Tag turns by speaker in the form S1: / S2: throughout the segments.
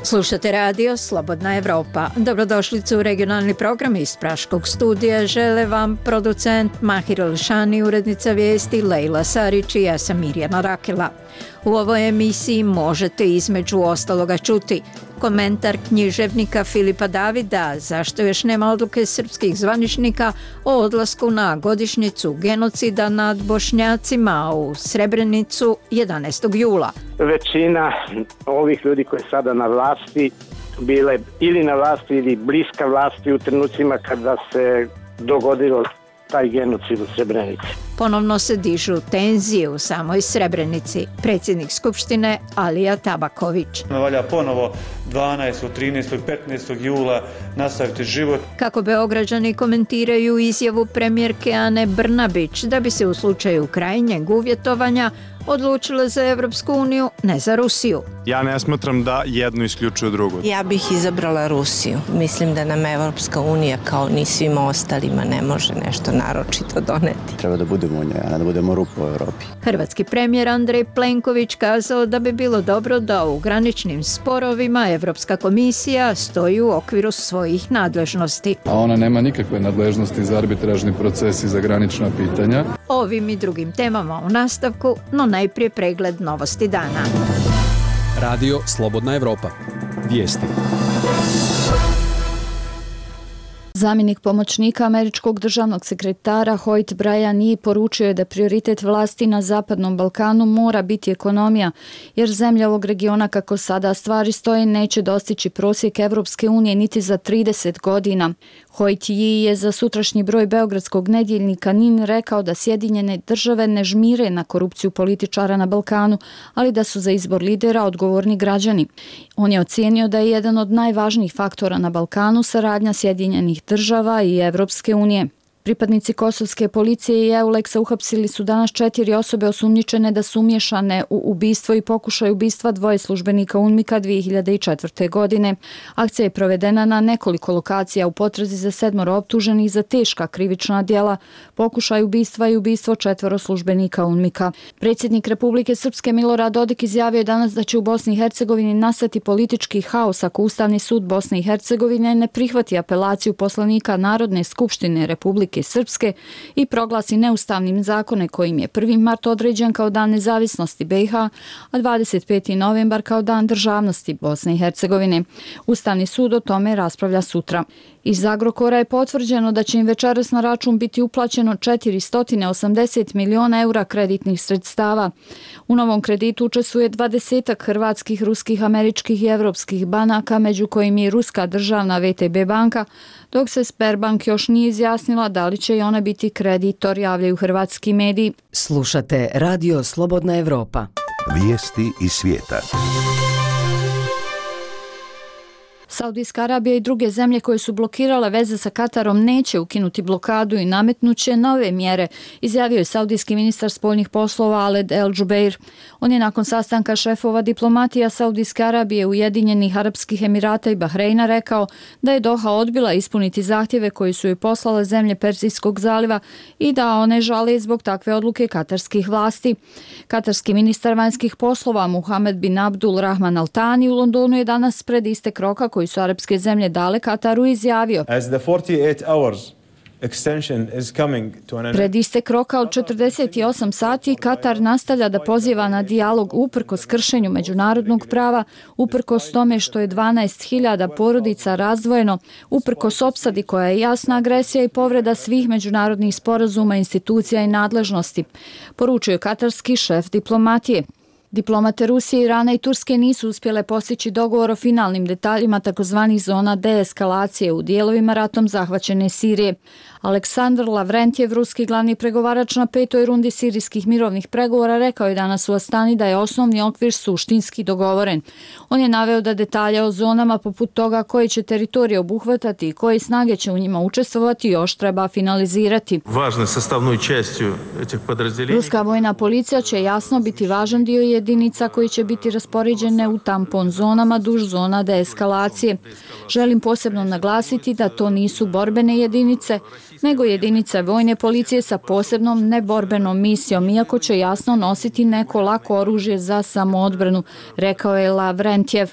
S1: Slušate radio Slobodna Evropa. Dobrodošlicu u regionalni program iz Praškog studija. Žele vam producent Mahir Elšani, urednica vijesti Lejla Sarić i ja sam Mirjana Rakela. U ovoj emisiji možete između ostaloga čuti komentar književnika Filipa Davida zašto još nema odluke srpskih zvaničnika o odlasku na godišnjicu genocida nad Bošnjacima u Srebrenicu 11. jula.
S2: Većina ovih ljudi koji je sada na vlasti bile ili na vlasti ili bliska vlasti u trenucima kada se dogodilo taj genocid u Srebrenici.
S1: Ponovno se dižu tenzije u samoj Srebrenici. Predsjednik Skupštine Alija Tabaković.
S3: Valja ponovo 12., 13., 15. jula nastaviti život.
S1: Kako Beograđani komentiraju izjavu premijerke Ane Brnabić da bi se u slučaju krajnjeg uvjetovanja odlučila za Evropsku uniju, ne za Rusiju.
S4: Ja ne smatram da jedno isključuje drugo.
S5: Ja bih izabrala Rusiju. Mislim da nam Evropska unija kao ni svima ostalima ne može nešto naročito doneti.
S6: Treba da budemo u njoj, a ne da budemo rupa u Evropi.
S1: Hrvatski premijer Andrej Plenković kazao da bi bilo dobro da u graničnim sporovima Evropska komisija stoji u okviru svojih nadležnosti.
S7: A ona nema nikakve nadležnosti za arbitražni proces i za granična pitanja.
S1: Ovim i drugim temama u nastavku, no najprije pregled novosti dana.
S8: Radio Slobodna Evropa. Vijesti.
S9: Zamjenik pomoćnika američkog državnog sekretara Hoyt Bryan Yee poručio je da prioritet vlasti na Zapadnom Balkanu mora biti ekonomija, jer zemlje ovog regiona kako sada stvari stoje neće dostići prosjek Evropske unije niti za 30 godina. Hoyt Yee je za sutrašnji broj beogradskog nedjeljnika NIN rekao da Sjedinjene države ne žmire na korupciju političara na Balkanu, ali da su za izbor lidera odgovorni građani. On je ocijenio da je jedan od najvažnijih faktora na Balkanu saradnja Sjedinjenih država i Evropske unije. Pripadnici kosovske policije i EULEX-a uhapsili su danas 4 osobe osumnjičene da su umiješane u ubistvo i pokušaj ubistva 2 službenika UNMIK-a 2004. godine. Akcija je provedena na nekoliko lokacija u potrazi za 7 optuženih za teška krivična djela, pokušaj ubistva i ubistvo 4 službenika UNMIK-a. Predsjednik Republike Srpske Milorad Dodik izjavio je danas da će u Bosni i Hercegovini nastati politički haos ako Ustavni sud Bosne i Hercegovine ne prihvati apelaciju poslanika Narodne skupštine Republike Srpske i proglasi neustavnim zakone kojim je 1. mart određen kao dan nezavisnosti BiH, a 25. novembar kao dan državnosti Bosne i Hercegovine. Ustavni sud o tome raspravlja sutra. Iz Agrokora je potvrđeno da će im večeras na račun biti uplaćeno 480 miliona eura kreditnih sredstava. U novom kreditu učestvuje 20 hrvatskih, ruskih, američkih i evropskih banaka, među kojim je ruska državna VTB banka, dok se Sberbank još nije izjasnila da li će i ona biti kreditor, javljaju hrvatski mediji.
S10: Slušate Radio Slobodna Evropa.
S11: Vijesti iz svijeta.
S9: Saudijska Arabija i druge zemlje koje su blokirale veze sa Katarom neće ukinuti blokadu i nametnuće nove mjere, izjavio je saudijski ministar spoljnih poslova Aled El Jubeir. On je nakon sastanka šefova diplomatija Saudijske Arabije, Ujedinjenih Arapskih Emirata i Bahreina rekao da je Doha odbila ispuniti zahtjeve koji su joj poslale zemlje Perzijskog zaliva i da one žale zbog takve odluke katarskih vlasti. Katarski ministar vanjskih poslova Muhammed bin Abdul Rahman Al Thani u Londonu je danas pred istek roka koji su arapske zemlje dale Kataru izjavio. Pred istek roka od 48 sati Katar nastavlja da poziva na dijalog uprkos kršenju međunarodnog prava, uprkos tome što je 12.000 porodica razdvojeno, uprkos opsadi koja je jasna agresija i povreda svih međunarodnih sporazuma, institucija i nadležnosti, poručuje katarski šef diplomatije. Diplomate Rusije, Irana i Turske nisu uspjele postići dogovor o finalnim detaljima takozvanih zona deeskalacije u dijelovima ratom zahvaćene Sirije. Aleksandar Lavrentjev, ruski glavni pregovarač na 5. rundi sirijskih mirovnih pregovora, rekao je danas u Astani da je osnovni okvir suštinski dogovoren. On je naveo da detalje o zonama poput toga koje će teritorije obuhvatati i koje snage će u njima učestvovati još treba finalizirati. Ruska vojna policija će jasno biti važan dio jedinica koji će biti raspoređene u tampon zonama duž zona deeskalacije. Želim posebno naglasiti da to nisu borbene jedinice, nego jedinice vojne policije sa posebnom neborbenom misijom, iako će jasno nositi neko lako oružje za samoodbranu, rekao je Lavrentjev.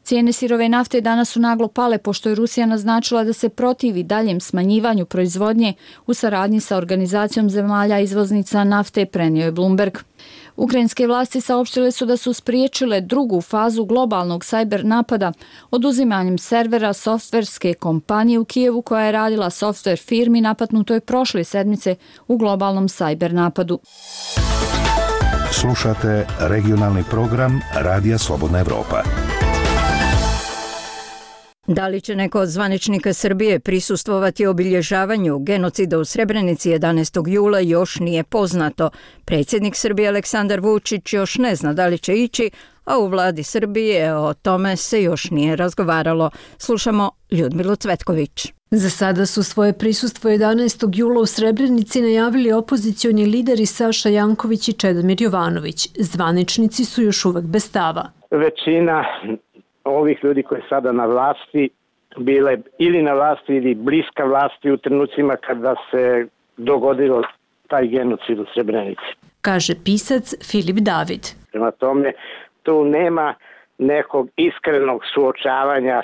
S9: Cijene sirove nafte danas su naglo pale pošto je Rusija naznačila da se protivi daljem smanjivanju proizvodnje u saradnji sa organizacijom zemalja izvoznica nafte, prenio je Bloomberg. Ukrajinske vlasti saopštile su da su spriječile drugu fazu globalnog sajber napada oduzimanjem servera softverske kompanije u Kijevu koja je radila softver firmi napadnutoj prošle sedmice u globalnom sajber napadu.
S11: Slušate regionalni program Radija Slobodna Evropa.
S1: Da li će neko od zvaničnika Srbije prisustvovati obilježavanju genocida u Srebrenici 11. jula još nije poznato. Predsjednik Srbije Aleksandar Vučić još ne zna da li će ići, a u vladi Srbije o tome se još nije razgovaralo. Slušamo Ljudmilu Cvetković.
S12: Za sada su svoje prisustvo 11. jula u Srebrenici najavili opozicioni lideri Saša Janković i Čedomir Jovanović. Zvaničnici su još uvek bez stava.
S2: Većina ovih ljudi koji sada na vlasti bile ili na vlasti ili bliska vlasti u trenucima kada se dogodilo taj genocid u Srebrenici.
S12: Kaže pisac Filip David.
S2: Prema tome, tu nema nekog iskrenog suočavanja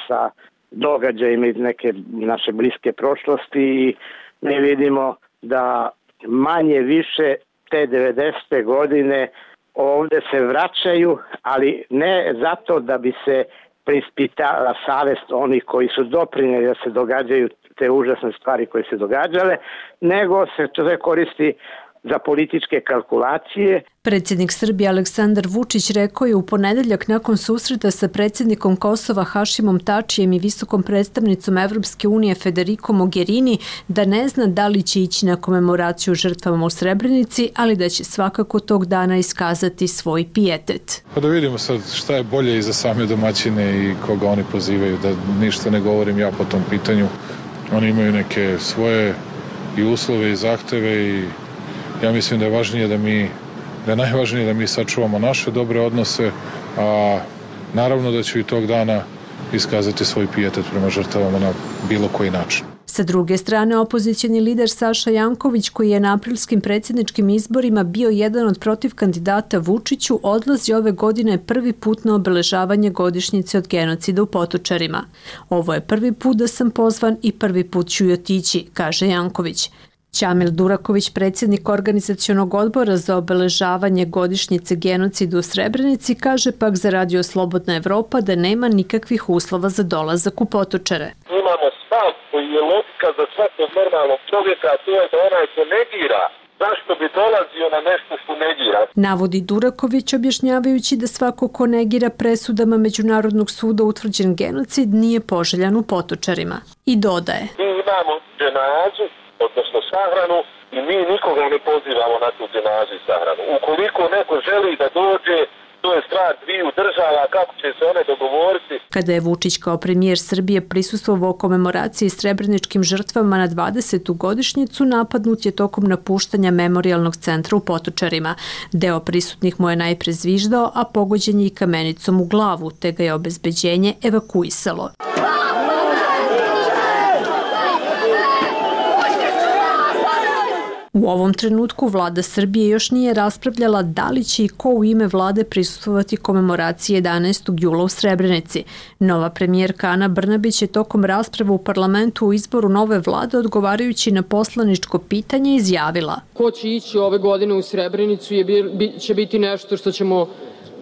S2: sa događajima iz neke naše bliske prošlosti i mi vidimo da manje više te 90. godine ovdje se vraćaju, ali ne zato da bi se preispitala savest onih koji su doprinijeli da se događaju te užasne stvari koje se događale, nego se to koristi za političke kalkulacije.
S12: Predsjednik Srbije Aleksandar Vučić rekao je u ponedeljak nakon susreta sa predsjednikom Kosova Hašimom Tačijem i visokom predstavnicom Evropske unije Federico Mogherini da ne zna da li će ići na komemoraciju žrtvama u Srebrenici, ali da će svakako tog dana iskazati svoj pijetet.
S7: Pa da vidimo sad šta je bolje i za same domaćine i koga oni pozivaju, da ništa ne govorim ja po tom pitanju. Oni imaju neke svoje i uslove i zahteve i ja mislim da je najvažnije da mi sačuvamo naše dobre odnose, a naravno da ću i tog dana iskazati svoj pijetet prema žrtvama na bilo koji način.
S12: Sa druge strane, opozicioni lider Saša Janković, koji je na aprilskim predsjedničkim izborima bio jedan od protiv kandidata Vučiću, odlazi ove godine prvi put na obeležavanje godišnjice od genocida u Potočarima. Ovo je prvi put da sam pozvan i prvi put ću i otići, kaže Janković. Ćamil Duraković, predsjednik organizacionog odbora za obeležavanje godišnjice genocida u Srebrenici, kaže pak za Radio Slobodna Evropa da nema nikakvih uslova za dolazak u Potočare.
S13: Imamo stav koji je logika za svakog normalnog čovjeka, a to je da onaj ko negira, zašto bi dolazio na nešto što negira?
S12: Navodi Duraković objašnjavajući da svako ko negira presudama Međunarodnog suda utvrđen genocid nije poželjan u Potočarima. I dodaje.
S13: Mi imamo dženazu, odnosno sahranu, i mi nikoga ne pozivamo na tu dženazu i sahranu. Ukoliko neko želi da dođe, to je stvar dviju država, kako će se one dogovoriti.
S12: Kada je Vučić kao premijer Srbije prisustvovao komemoraciji srebreničkim žrtvama na 20. godišnjicu, napadnut je tokom napuštanja memorijalnog centra u Potočarima. Deo prisutnih mu je najpre zviždao, a pogođen je i kamenicom u glavu, te ga je obezbeđenje evakuisalo. U ovom trenutku vlada Srbije još nije raspravljala da li će i ko u ime vlade prisustvovati komemoraciji 11. jula u Srebrenici. Nova premijerka Ana Brnabić je tokom rasprave u parlamentu u izboru nove vlade odgovarajući na poslaničko pitanje izjavila.
S14: Ko će ići ove godine u Srebrenicu će biti nešto što ćemo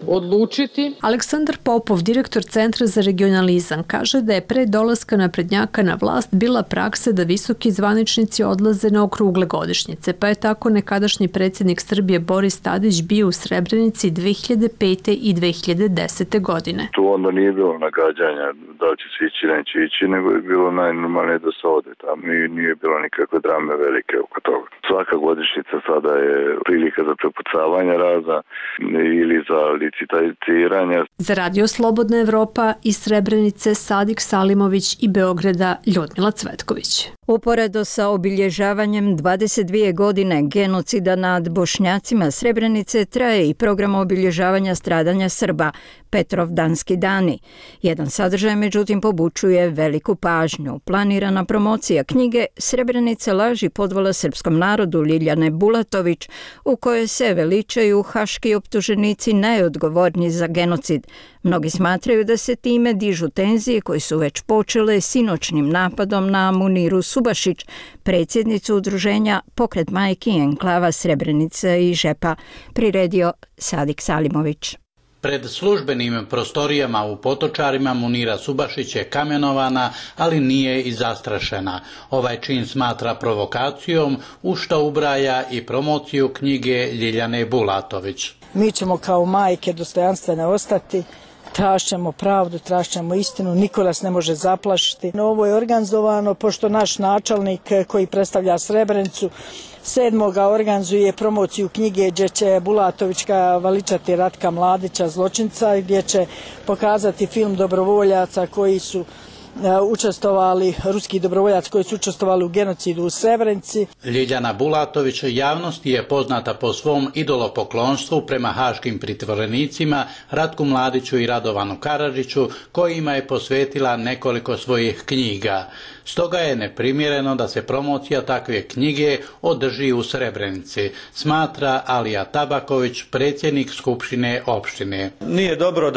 S14: odlučiti.
S12: Aleksandar Popov, direktor Centra za regionalizam, kaže da je pre dolaska naprednjaka na vlast bila praksa da visoki zvaničnici odlaze na okrugle godišnjice, pa je tako nekadašnji predsjednik Srbije Boris Tadić bio u Srebrenici 2005. i 2010. godine.
S15: Tu onda nije bilo nagađanja da će se ići, neće ići, nego je bilo najnormalnije da se ode tamo i nije bilo nikakve drame velike oko toga. Svaka godišnjica sada je prilika za prepucavanje raza ili za licitiranja.
S12: Za Radio Slobodna Evropa iz Srebrenice Sadik Salimović i Beograda Ljudmila Cvetković.
S1: Uporedo sa obilježavanjem 22 godine genocida nad Bošnjacima Srebrenice traje i program obilježavanja stradanja Srba, Petrovdanski dani. Jedan sadržaj, međutim, pobučuje veliku pažnju. Planirana promocija knjige Srebrenica laži podvala srpskom narodu Ljiljane Bulatović, u kojoj se veličaju haški optuženici najodgovorniji za genocid. Mnogi smatraju da se time dižu tenzije koje su već počele sinoćnim napadom na Muniru Subašić, predsjednicu udruženja Pokret majki enklava Srebrenica i Žepa, priredio Sadik Salimović.
S16: Pred službenim prostorijama u Potočarima Munira Subašić je kamenovana, ali nije i zastrašena. Ovaj čin smatra provokacijom, u što ubraja i promociju knjige Ljiljane Bulatović.
S17: Mi ćemo kao majke dostojanstvene ostati, tražćemo pravdu, tražćemo istinu, niko nas ne može zaplašiti. Ovo je organizovano pošto naš načelnik koji predstavlja Srebrenicu 7. organizuje promociju knjige gdje će Bulatovićka veličati Ratka Mladića, zločinca, gdje će pokazati film dobrovoljaca koji su učestvovali, ruski dobrovoljac koji su učestvovali u genocidu u Srebrenici.
S16: Ljiljana Bulatović javnosti je poznata po svom idolopoklonstvu prema haškim pritvorenicima Ratku Mladiću i Radovanu Karadžiću, kojima je posvetila nekoliko svojih knjiga. Stoga je neprimjereno da se promocija takve knjige održi u Srebrenici, smatra Alija Tabaković, predsjednik Skupštine opštine.
S3: Nije dobro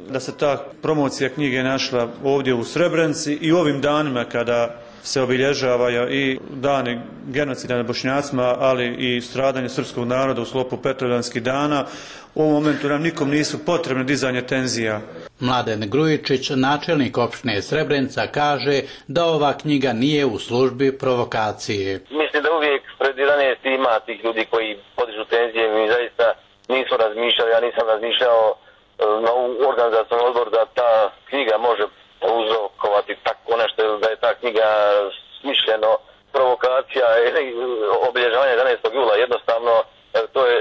S3: da se ta promocija knjige našla ovdje u Srebrenici i u ovim danima kada se obilježavaju i dani genocida nad Bošnjacima, ali i stradanje srpskog naroda u sklopu Petrovdanskih dana. U ovom momentu nam nikom nisu potrebne dizanje tenzija.
S16: Mladen Grujičić, načelnik opštine Srebrenica, kaže da ova knjiga nije u službi provokacije.
S13: Mislim da uvijek pred 11 ima tih ljudi koji podižu tenzije. Mi zaista nismo razmišljali, ja nisam razmišljao na organizacijom odbor da ta knjiga može uzrokovati tako nešto, da je ta knjiga smišljeno provokacija ili obilježavanje 11. jula. Jednostavno to je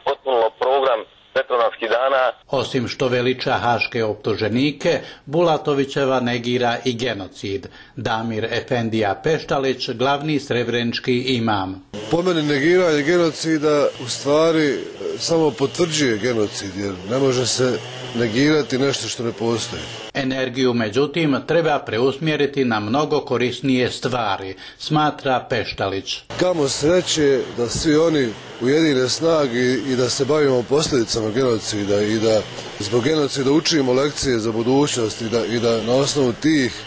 S13: potpuno program Petrovdanskih dana.
S16: Osim što veliča haške optuženike, Bulatovićeva negira i genocid. Damir Efendija Peštalić, glavni srebrenički imam.
S18: Po meni negiranje genocida u stvari samo potvrđuje genocid, jer ne može se negirati nešto što ne postoji.
S16: Energiju, međutim, treba preusmjeriti na mnogo korisnije stvari, smatra Peštalić.
S18: Kamo sreće da svi oni ujedine snage i da se bavimo posljedicama genocida i da zbog genocida učimo lekcije za budućnost i da na osnovu tih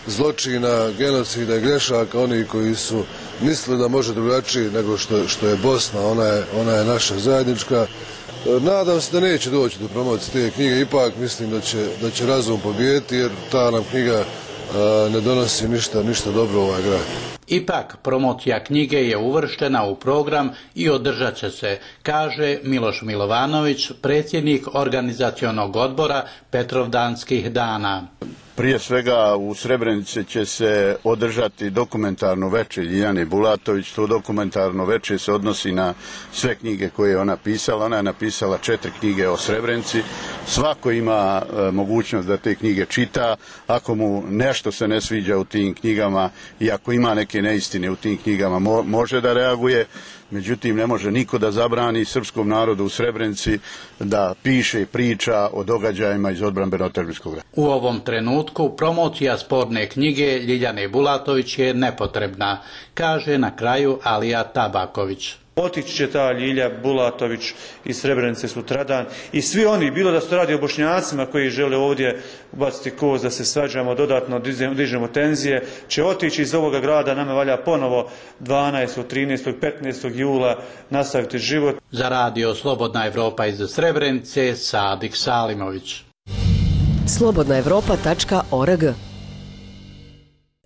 S18: zločina, genocida i grešaka oni koji su mislili da može drugačije nego što je Bosna, ona je naša zajednička. Nadam se da neće doći do promocije te knjige, ipak mislim da će razum pobijediti jer ta nam knjiga ne donosi ništa dobro u ovaj grad.
S16: Ipak, promocija knjige je uvrštena u program i održat će se, kaže Miloš Milovanović, predsjednik organizacionog odbora Petrovdanskih dana.
S6: Prije svega u Srebrenici će se održati dokumentarno veče Ljiljane Bulatović. To dokumentarno veče se odnosi na sve knjige koje je ona pisala. Ona je napisala 4 knjige o Srebrenici. Svako ima mogućnost da te knjige čita. Ako mu nešto se ne sviđa u tim knjigama i ako ima neke neistine u tim knjigama, može da reaguje. Međutim, ne može niko da zabrani srpskom narodu u Srebrenici da piše i priča o događajima iz odbrambeno-terbijskog rata.
S16: U ovom trenutku promocija sporne knjige Ljiljane Bulatović je nepotrebna, kaže na kraju Alija Tabaković.
S3: Otići će ta Ljilja Bulatović iz Srebrenice sutradan i svi oni, bilo da se radi o Bošnjacima koji žele ovdje ubaciti koz da se svađamo, dodatno dižemo tenzije, će otići iz ovoga grada. Nama valja ponovo 12., 13., 15. jula nastaviti život.
S16: Za radio Slobodna Evropa iz Srebrenice, Sadik Salimović.
S10: slobodnaevropa.org.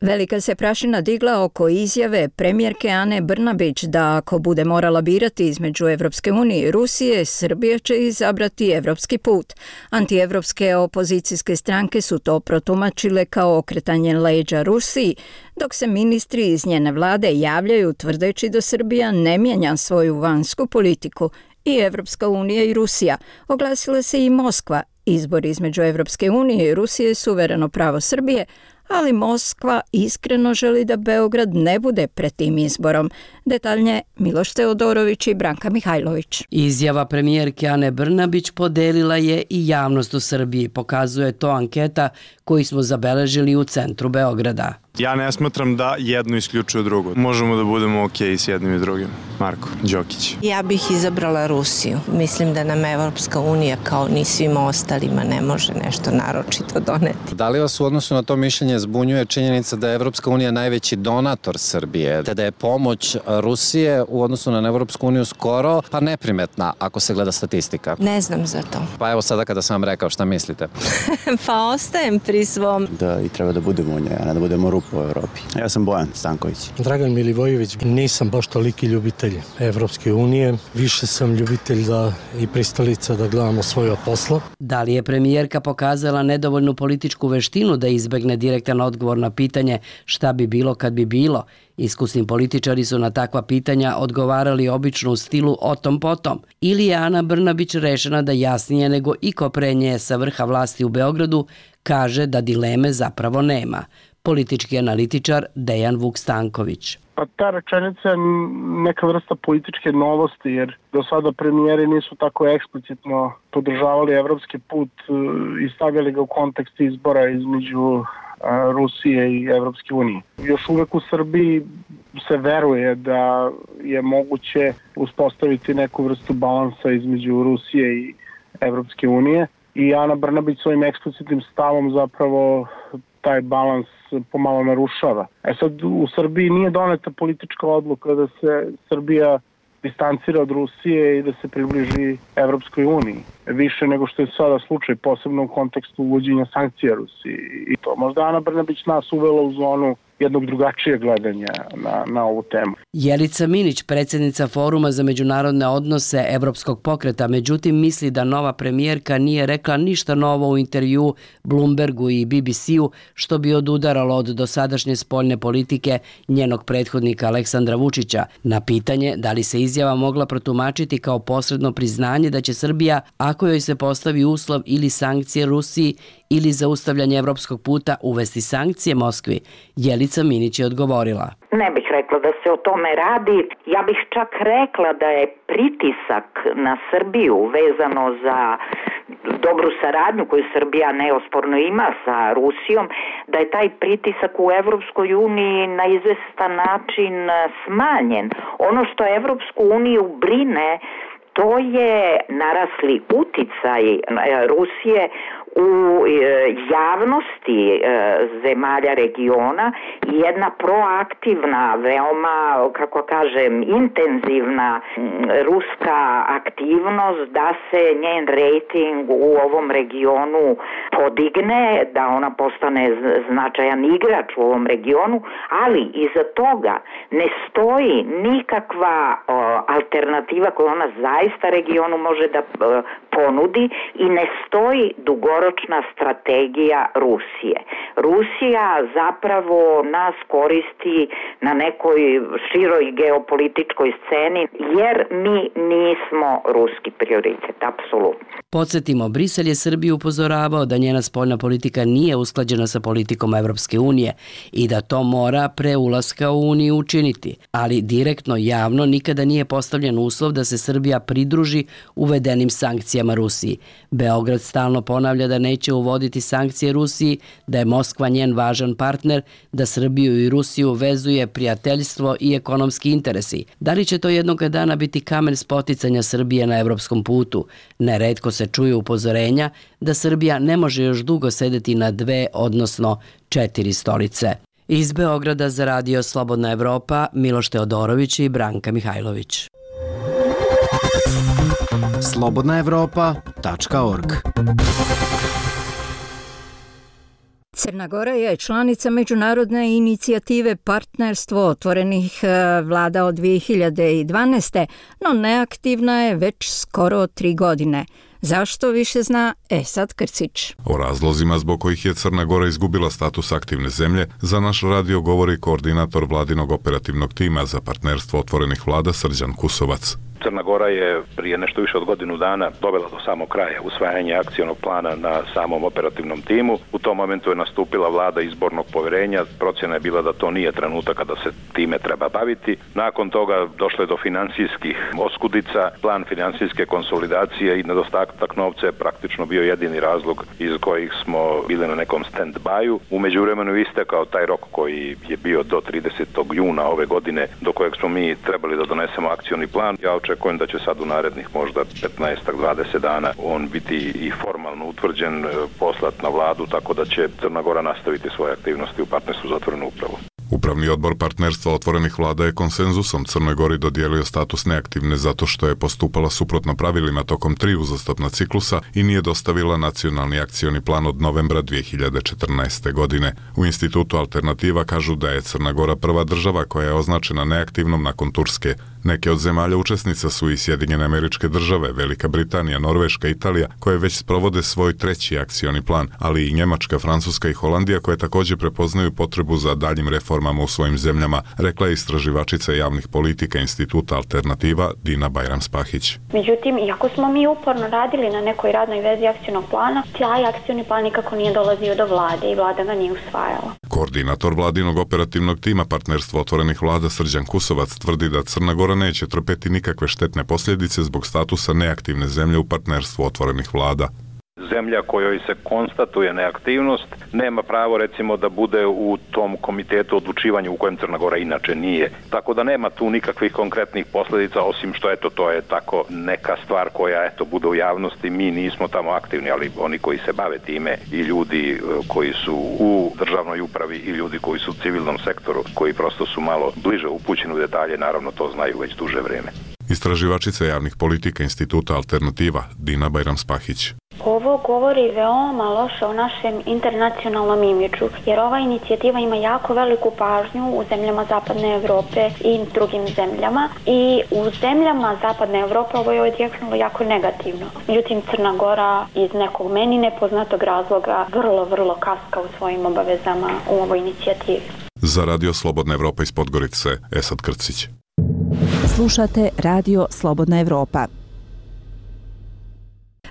S1: Velika se prašina digla oko izjave premijerke Ane Brnabić da ako bude morala birati između Evropske unije i Rusije, Srbija će izabrati evropski put. Antievropske opozicijske stranke su to protumačile kao okretanje leđa Rusiji, dok se ministri iz njene vlade javljaju tvrdeći da Srbija ne mijenja svoju vanjsku politiku. I Evropska unija i Rusija. Oglasila se i Moskva. Izbor između Evropske unije i Rusije je suvereno pravo Srbije, ali Moskva iskreno želi da Beograd ne bude pred tim izborom. Detaljnije Miloš Teodorović i Branka Mihajlović.
S19: Izjava premijerke Ane Brnabić podelila je i javnost u Srbiji. Pokazuje to anketa koju smo zabeležili u centru Beograda.
S4: Ja ne smatram da jedno isključuje drugo. Možemo da budemo okej s jednim i drugim. Marko Đokić.
S5: Ja bih izabrala Rusiju. Mislim da nam Evropska unija kao ni svim ostalima ne može nešto naročito doneti.
S20: Da li vas u odnosu na to mišljenje zbunjuje činjenica da je Evropska unija najveći donator Srbije, te da je pomoć Rusije u odnosu na Evropsku uniju skoro pa neprimetna ako se gleda statistika?
S5: Ne znam za to.
S20: Pa evo sada kada sam vam rekao, šta mislite?
S5: Pa ostajem pri svom.
S21: Da i treba da budemo u njoj, a ne da budemo rupa u Evropi. Ja sam Bojan Stanković.
S22: Dragan Milivojević. Nisam baš toliki ljubitelj Evropske unije. Više sam ljubitelj i pristalica da gledamo svoje posla.
S19: Da li je premijerka pokazala nedovoljnu političku veštinu da izbegne direktan odgovor na pitanje šta bi bilo kad bi bilo? Iskusni političari su na takva pitanja odgovarali obično u stilu o tom potom. Ili je Ana Brnabić rešena da jasnije nego iko pre nje sa vrha vlasti u Beogradu kaže da dileme zapravo nema. Politički analitičar Dejan Vuk Stanković.
S23: Pa ta rečenica je neka vrsta političke novosti, jer do sada premijeri nisu tako eksplicitno podržavali evropski put i stavljali ga u kontekst izbora između Rusije i Evropske unije. Još uvek u Srbiji se veruje da je moguće uspostaviti neku vrstu balansa između Rusije i Evropske unije i Ana Brnabić svojim eksplicitnim stavom zapravo taj balans pomalo narušava. Sad u Srbiji nije doneta politička odluka da se Srbija distancira od Rusije i da se približi Evropskoj uniji. Više nego što je sada slučaj, posebno u kontekstu uvođenja sankcija Rusiji. I to možda Ana Brnabić nas uvela u zonu jednog drugačijeg gledanja na ovu temu.
S19: Jelica Minić, predsjednica Foruma za međunarodne odnose Evropskog pokreta, međutim misli da nova premijerka nije rekla ništa novo u intervju Bloombergu i BBC-u što bi odudaralo od dosadašnje spoljne politike njenog prethodnika Aleksandra Vučića. Na pitanje da li se izjava mogla protumačiti kao posredno priznanje da će Srbija, ako joj se postavi uslov ili sankcije Rusiji ili zaustavljanje evropskog puta, uvesti sankcije Moskvi, Jelica Minić je odgovorila.
S24: Ne bih rekla da se o tome radi. Ja bih čak rekla da je pritisak na Srbiju vezano za dobru saradnju koju Srbija neosporno ima sa Rusijom, da je taj pritisak u Evropskoj uniji na izvestan način smanjen. Ono što Evropsku uniju brine, to je narasli uticaj Rusije u javnosti zemalja regiona i jedna proaktivna, veoma, kako kažem, intenzivna ruska aktivnost da se njen rejting u ovom regionu podigne, da ona postane značajan igrač u ovom regionu, ali iza toga ne stoji nikakva alternativa koju ona zaista regionu može da ponudi i ne stoji dugoročna strategija Rusije. Rusija zapravo nas koristi na nekoj široj geopolitičkoj sceni jer mi nismo ruski prioritet, apsolutno.
S19: Podsjetimo, Brisel je Srbiju upozoravao da njena spoljna politika nije usklađena sa politikom Evropske unije i da to mora pre ulaska u Uniju učiniti, ali direktno javno nikada nije postavljen uslov da se Srbija pridruži uvedenim sankcijama Rusiji. Beograd stalno ponavlja da neće uvoditi sankcije Rusiji, da je Moskva njen važan partner, da Srbiju i Rusiju vezuje prijateljstvo i ekonomski interesi. Da li će to jednog dana biti kamen spoticanja Srbije na evropskom putu? Neretko se čuju upozorenja da Srbija ne može još dugo sedeti na 2, odnosno 4 stolice. Iz Beograda za Radio Slobodna Evropa, Miloš Teodorović i Branka Mihajlović.
S10: slobodnaevropa.org.
S1: Crna Gora je članica međunarodne inicijative Partnerstvo otvorenih vlada od 2012. no neaktivna je već skoro 3 godine. Zašto više zna Esad Krcić?
S25: O razlozima zbog kojih je Crna Gora izgubila status aktivne zemlje za naš radio govori koordinator vladinog operativnog tima za partnerstvo otvorenih vlada Srđan Kusovac.
S2: Crna Gora je prije nešto više od godinu dana dovela do samog kraja usvajanje akcionog plana na samom operativnom timu. U tom momentu je nastupila vlada izbornog poverenja, procjena je bila da to nije trenutak kada se time treba baviti. Nakon toga došlo je do financijskih oskudica, plan financijske konsolidacije i nedostatak novca je praktično bio jedini razlog iz kojih smo bili na nekom stand-byu. U međuvremenu istekao taj rok koji je bio do 30. juna ove godine, do kojeg smo mi trebali da donesemo akcioni plan. Ja očekujem da će sad u narednih možda 15-20 dana on biti i formalno utvrđen, poslat na vladu, tako da će Crna Gora nastaviti svoje aktivnosti u partnerstvu za otvorenu upravu.
S25: Upravni odbor partnerstva otvorenih vlada je konsenzusom Crnoj Gori dodijelio status neaktivne zato što je postupala suprotno pravilima tokom 3 uzastopna ciklusa i nije dostavila nacionalni akcioni plan od novembra 2014. godine. U institutu Alternativa kažu da je Crna Gora prva država koja je označena neaktivnom nakon Turske. Neke od zemalja učesnica su i Sjedinjene Američke Države, Velika Britanija, Norveška, Italija, koje već sprovode svoj 3. akcioni plan, ali i Njemačka, Francuska i Holandija koje također prepoznaju potrebu za daljim reformama u svojim zemljama, rekla je istraživačica javnih politika instituta Alternativa Dina Bajram-Spahić.
S7: Međutim, iako smo mi uporno radili na nekoj radnoj vezi akcionog plana, taj akcioni plan nikako nije dolazio do vlade i vlada ga nije usvajala.
S25: Koordinator vladinog operativnog tima partnerstva otvorenih vlada Srđan Kusovac tvrdi da Crna Gora neće trpeti nikakve štetne posljedice zbog statusa neaktivne zemlje u partnerstvu otvorenih vlada.
S2: Zemlja kojoj se konstatuje neaktivnost nema pravo recimo da bude u tom komitetu odlučivanja u kojem Crna Gora inače nije. Tako da nema tu nikakvih konkretnih posljedica osim što to je tako neka stvar koja bude u javnosti. Mi nismo tamo aktivni, ali oni koji se bave time i ljudi koji su u državnoj upravi i ljudi koji su u civilnom sektoru, koji prosto su malo bliže upućeni u detalje, naravno to znaju već duže vrijeme.
S25: Istraživačica javnih politika instituta Alternativa Dina Bajram-Spahić.
S7: Ovo govori veoma loše o našem internacionalnom imidžu, jer ova inicijativa ima jako veliku pažnju u zemljama Zapadne Evrope i drugim zemljama i u zemljama Zapadne Evrope ovo je odjeknulo jako negativno. Međutim, Crna Gora iz nekog meni nepoznatog razloga vrlo kaska u svojim obavezama u ovoj inicijativi.
S25: Za Radio Slobodna Evropa iz Podgorice, Esad Krcić.
S8: Slušate Radio Slobodna Evropa.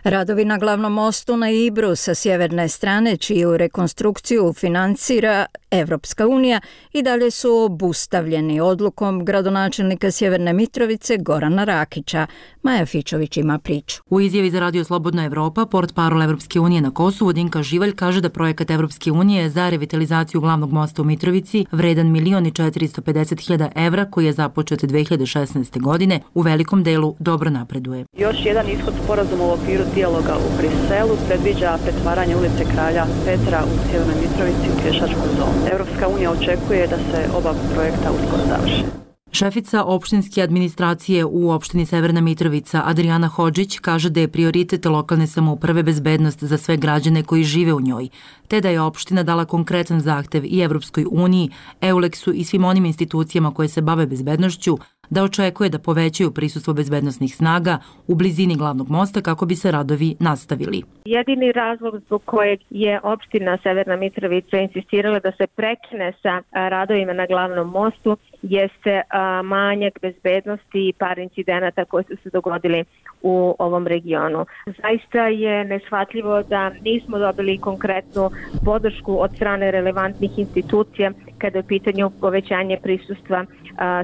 S1: Radovi na glavnom mostu na Ibru sa sjeverne strane, čiju rekonstrukciju financira Evropska unija, i dalje su obustavljeni odlukom gradonačelnika Sjeverne Mitrovice Gorana Rakića. Maja Fičović ima priču.
S9: U izjavi za Radio Slobodna Evropa, portparol Evropske unije na Kosovu Dinka Živalj kaže da projekat Evropske unije za revitalizaciju glavnog mosta u Mitrovici, vredan 1.450.000 evra, koji je započet 2016. godine, u velikom delu dobro napreduje.
S11: Još jedan ishod sporazuma u okviru dijaloga u Briselu predviđa pretvaranje ulice Kralja Petra u Sjevernoj Mitrovici u pješačku zonu. Evropska unija očekuje da se oba projekta uskoro završe.
S9: Šefica opštinske administracije u opštini Severna Mitrovica Adriana Hodžić kaže da je prioritet lokalne samouprave bezbednost za sve građane koji žive u njoj, te da je opština dala konkretan zahtev i Evropskoj uniji, EULEX-u i svim onim institucijama koje se bave bezbednošću da očekuje da povećaju prisustvo bezbednosnih snaga u blizini glavnog mosta kako bi se radovi nastavili.
S26: Jedini razlog zbog kojeg je opština Severna Mitrovica insistirala da se prekine sa radovima na glavnom mostu jeste manjak bezbednosti i par incidenata koji su se dogodili u ovom regionu. Zaista je neshvatljivo da nismo dobili konkretnu podršku od strane relevantnih institucija kada je u pitanju povećanje prisustva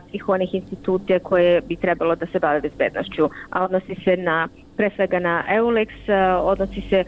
S26: svih onih institucija koje bi trebalo da se bave bezbednošću, a odnosi se pre svega na EULEX, odnosi se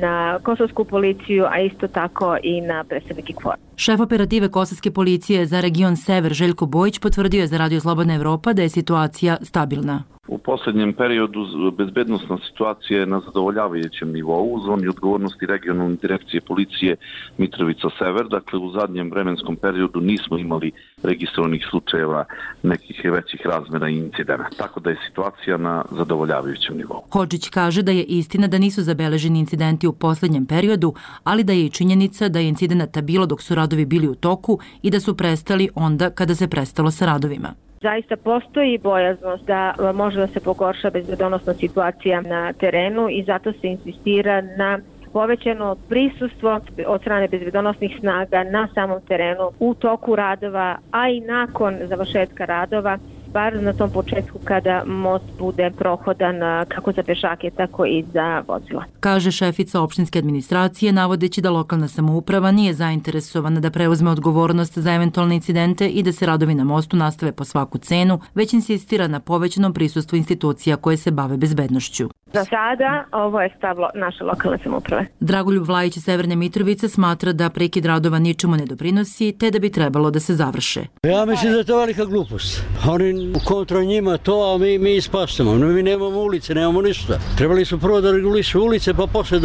S26: na kosovsku policiju, a isto tako i na predstavnike KFOR.
S9: Šef operative kosovske policije za region Sever Željko Bojić potvrdio je za Radio Slobodna Evropa da je situacija stabilna.
S27: U posljednjem periodu bezbednosna situacija je na zadovoljavajućem nivou u zoni odgovornosti regionalne direkcije policije Mitrovica Sever. Dakle, u zadnjem vremenskom periodu nismo imali registrovanih slučajeva nekih većih razmjera i incidenta. Tako da je situacija na zadovoljavajućem nivou.
S9: Hodžić kaže da je istina da nisu zabeleženi incidenti u posljednjem periodu, ali da je i činjenica da je incidenata bilo dok su radovi bili u toku i da su prestali onda kada se prestalo sa radovima.
S26: Zaista postoji bojaznost da može da se pogorša bezbednosna situacija na terenu i zato se insistira na povećano prisustvo od strane bezbednosnih snaga na samom terenu u toku radova, a i nakon završetka radova bar na tom početku kada most bude prohodan kako za pešake, tako i za vozila.
S9: Kaže šefica opštinske administracije, navodeći da lokalna samouprava nije zainteresovana da preuzme odgovornost za eventualne incidente i da se radovi na mostu nastave po svaku cenu, već insistira na povećanom prisustvu institucija koje se bave bezbednošću.
S26: Za sada ovo je stav naše lokalne samouprave.
S9: Dragoljub Vlajić iz Severne Mitrovice smatra da prekid radova ničemu ne doprinosi, te da bi trebalo da se završe.
S6: Ja mislim da je to velika glupost. Oni kontra njima to, a mi ispastamo. Mi nemamo ulice, nemamo ništa. Trebali su prvo da regulišu ulice, pa posle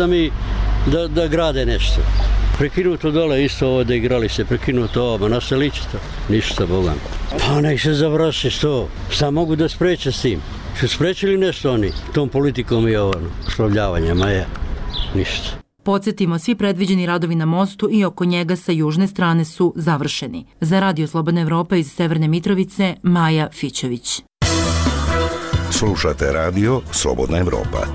S6: da grade nešto. Prekinuto dole isto ovo da igrali se, prekinuto ovo, nastavit će to. Ništa, Boga. Pa nek se završi što. Šta mogu da spreče s tim? Su sprečili nešto oni tom politikom i oslovljavanjem, a je ništa.
S9: Podsjetimo, svi predviđeni radovi na mostu i oko njega sa južne strane su završeni. Za Radio Slobodna Evropa iz Severne Mitrovice, Maja Fićević.
S12: Slušate Radio Slobodna Evropa.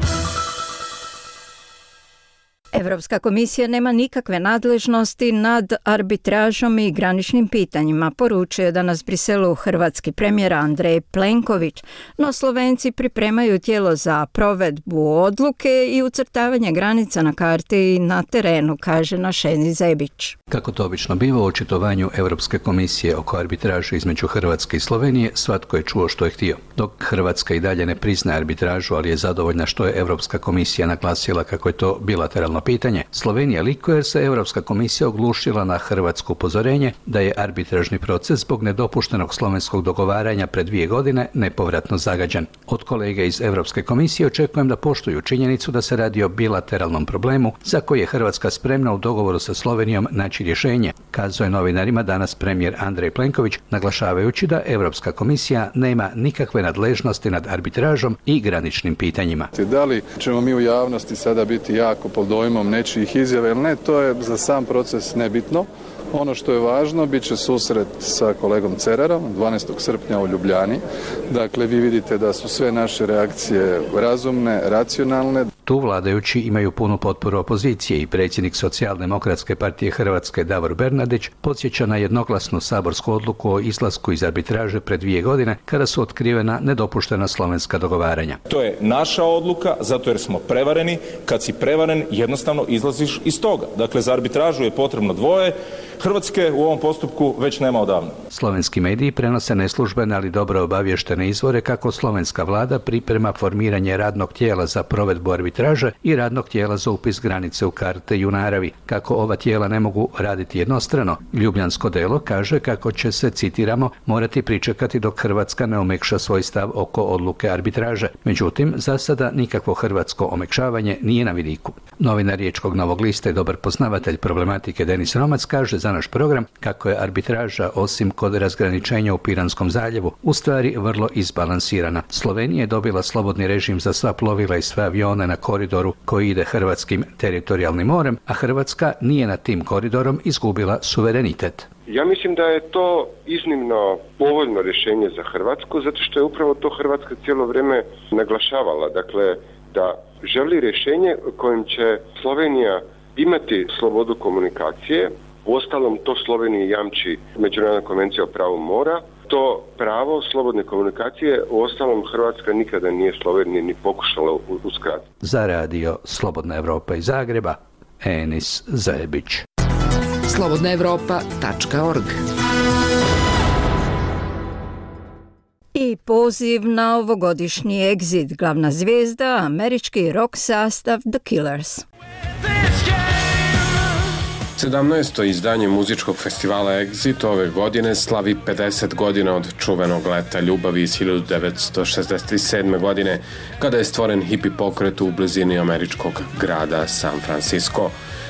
S1: Evropska komisija nema nikakve nadležnosti nad arbitražom i graničnim pitanjima, poručuje danas Briselu hrvatski premijer Andrej Plenković, no Slovenci pripremaju tijelo za provedbu odluke i ucrtavanje granica na karti i na terenu, kaže Našeni Zebić.
S13: Kako to obično biva u očitovanju Europske komisije oko arbitraže između Hrvatske i Slovenije, svatko je čuo što je htio. Dok Hrvatska i dalje ne priznaje arbitražu, ali je zadovoljna što je Europska komisija naglasila kako je to bilateralno pitanje, Slovenija likuje jer se Europska komisija oglušila na hrvatsko upozorenje da je arbitražni proces zbog nedopuštenog slovenskog dogovaranja pred 2 godine nepovratno zagađen. Od kolege iz Europske komisije očekujem da poštuju činjenicu da se radi o bilateralnom problemu za koji je Hrvatska spremna u dogovoru sa Slovenijom naći rješenje, kazao je novinarima danas premijer Andrej Plenković, naglašavajući da Europska komisija nema nikakve nadležnosti nad arbitražom i graničnim pitanjima.
S14: Da li ćemo mi u javnosti sada biti jako pod dojmom nečijih izjava ili ne, to je za sam proces nebitno. Ono što je važno, bit će susret sa kolegom Cerarom 12. srpnja u Ljubljani. Dakle, vi vidite da su sve naše reakcije razumne, racionalne.
S13: Tu vladajući imaju punu potporu opozicije i predsjednik Socijaldemokratske partije Hrvatske Davor Bernardić podsjeća na jednoglasnu saborsku odluku o izlasku iz arbitraže pred 2 godine kada su otkrivena nedopuštena slovenska dogovaranja.
S15: To je naša odluka zato jer smo prevareni. Kad si prevaren jednostavno izlaziš iz toga. Dakle, za arbitražu je potrebno 2. Hrvatske u ovom postupku već nema odavno.
S13: Slovenski mediji prenose neslužbene, ali dobro obavještene izvore kako slovenska vlada priprema formiranje radnog tijela za provedbu arbitraže i radnog tijela za upis granice u karte i u naravi. Kako ova tijela ne mogu raditi jednostrano, Ljubljansko delo kaže kako će se, citiramo, morati pričekati dok Hrvatska ne omekša svoj stav oko odluke arbitraže. Međutim, za sada nikakvo hrvatsko omekšavanje nije na vidiku. Novinar Riječkog Novog lista i dobar poznavatelj problematike Denis Romac kaže za naš program kako je arbitraža, osim kod razgraničenja u Piranskom zaljevu, u stvari vrlo izbalansirana. Slovenija je dobila slobodni režim za sva plovila i sve avione na koridoru koji ide hrvatskim teritorijalnim morem, a Hrvatska nije nad tim koridorom izgubila suverenitet.
S17: Ja mislim da je to iznimno povoljno rješenje za Hrvatsku, zato što je upravo to Hrvatska cijelo vrijeme naglašavala. Dakle, da želi rješenje kojim će Slovenija imati slobodu komunikacije. Uostalom, to Sloveniji jamči Međunarodna konvencija o pravu mora. To pravo slobodne komunikacije, uostalom, Hrvatska nikada nije Sloveniji ni pokušala uskratiti.
S13: Za Radio Slobodna Evropa iz Zagreba, Enis Zebić.
S10: slobodnaevropa.org.
S1: I poziv na ovogodišnji Exit, glavna zvijezda, američki rock sastav The Killers.
S18: 17. izdanje muzičkog festivala Exit ove godine slavi 50 godina od čuvenog Leta ljubavi iz 1967. godine, kada je stvoren hipi pokret u blizini američkog grada San Francisco.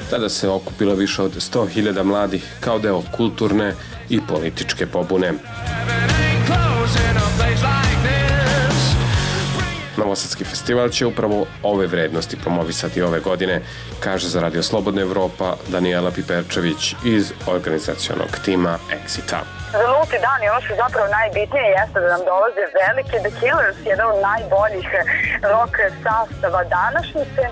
S18: Tada se okupilo više od 100.000 mladih kao deo kulturne i političke pobune. Novosadski festival će upravo ove vrednosti promovisati ove godine, kaže za Radio Slobodna Evropa Danijela Piperčević iz organizacionog tima Exita.
S3: Za nulti dan i ono što je zapravo najbitnije jeste da nam dolaze veliki The Killers, jedan od najboljih rock sastava današnjice.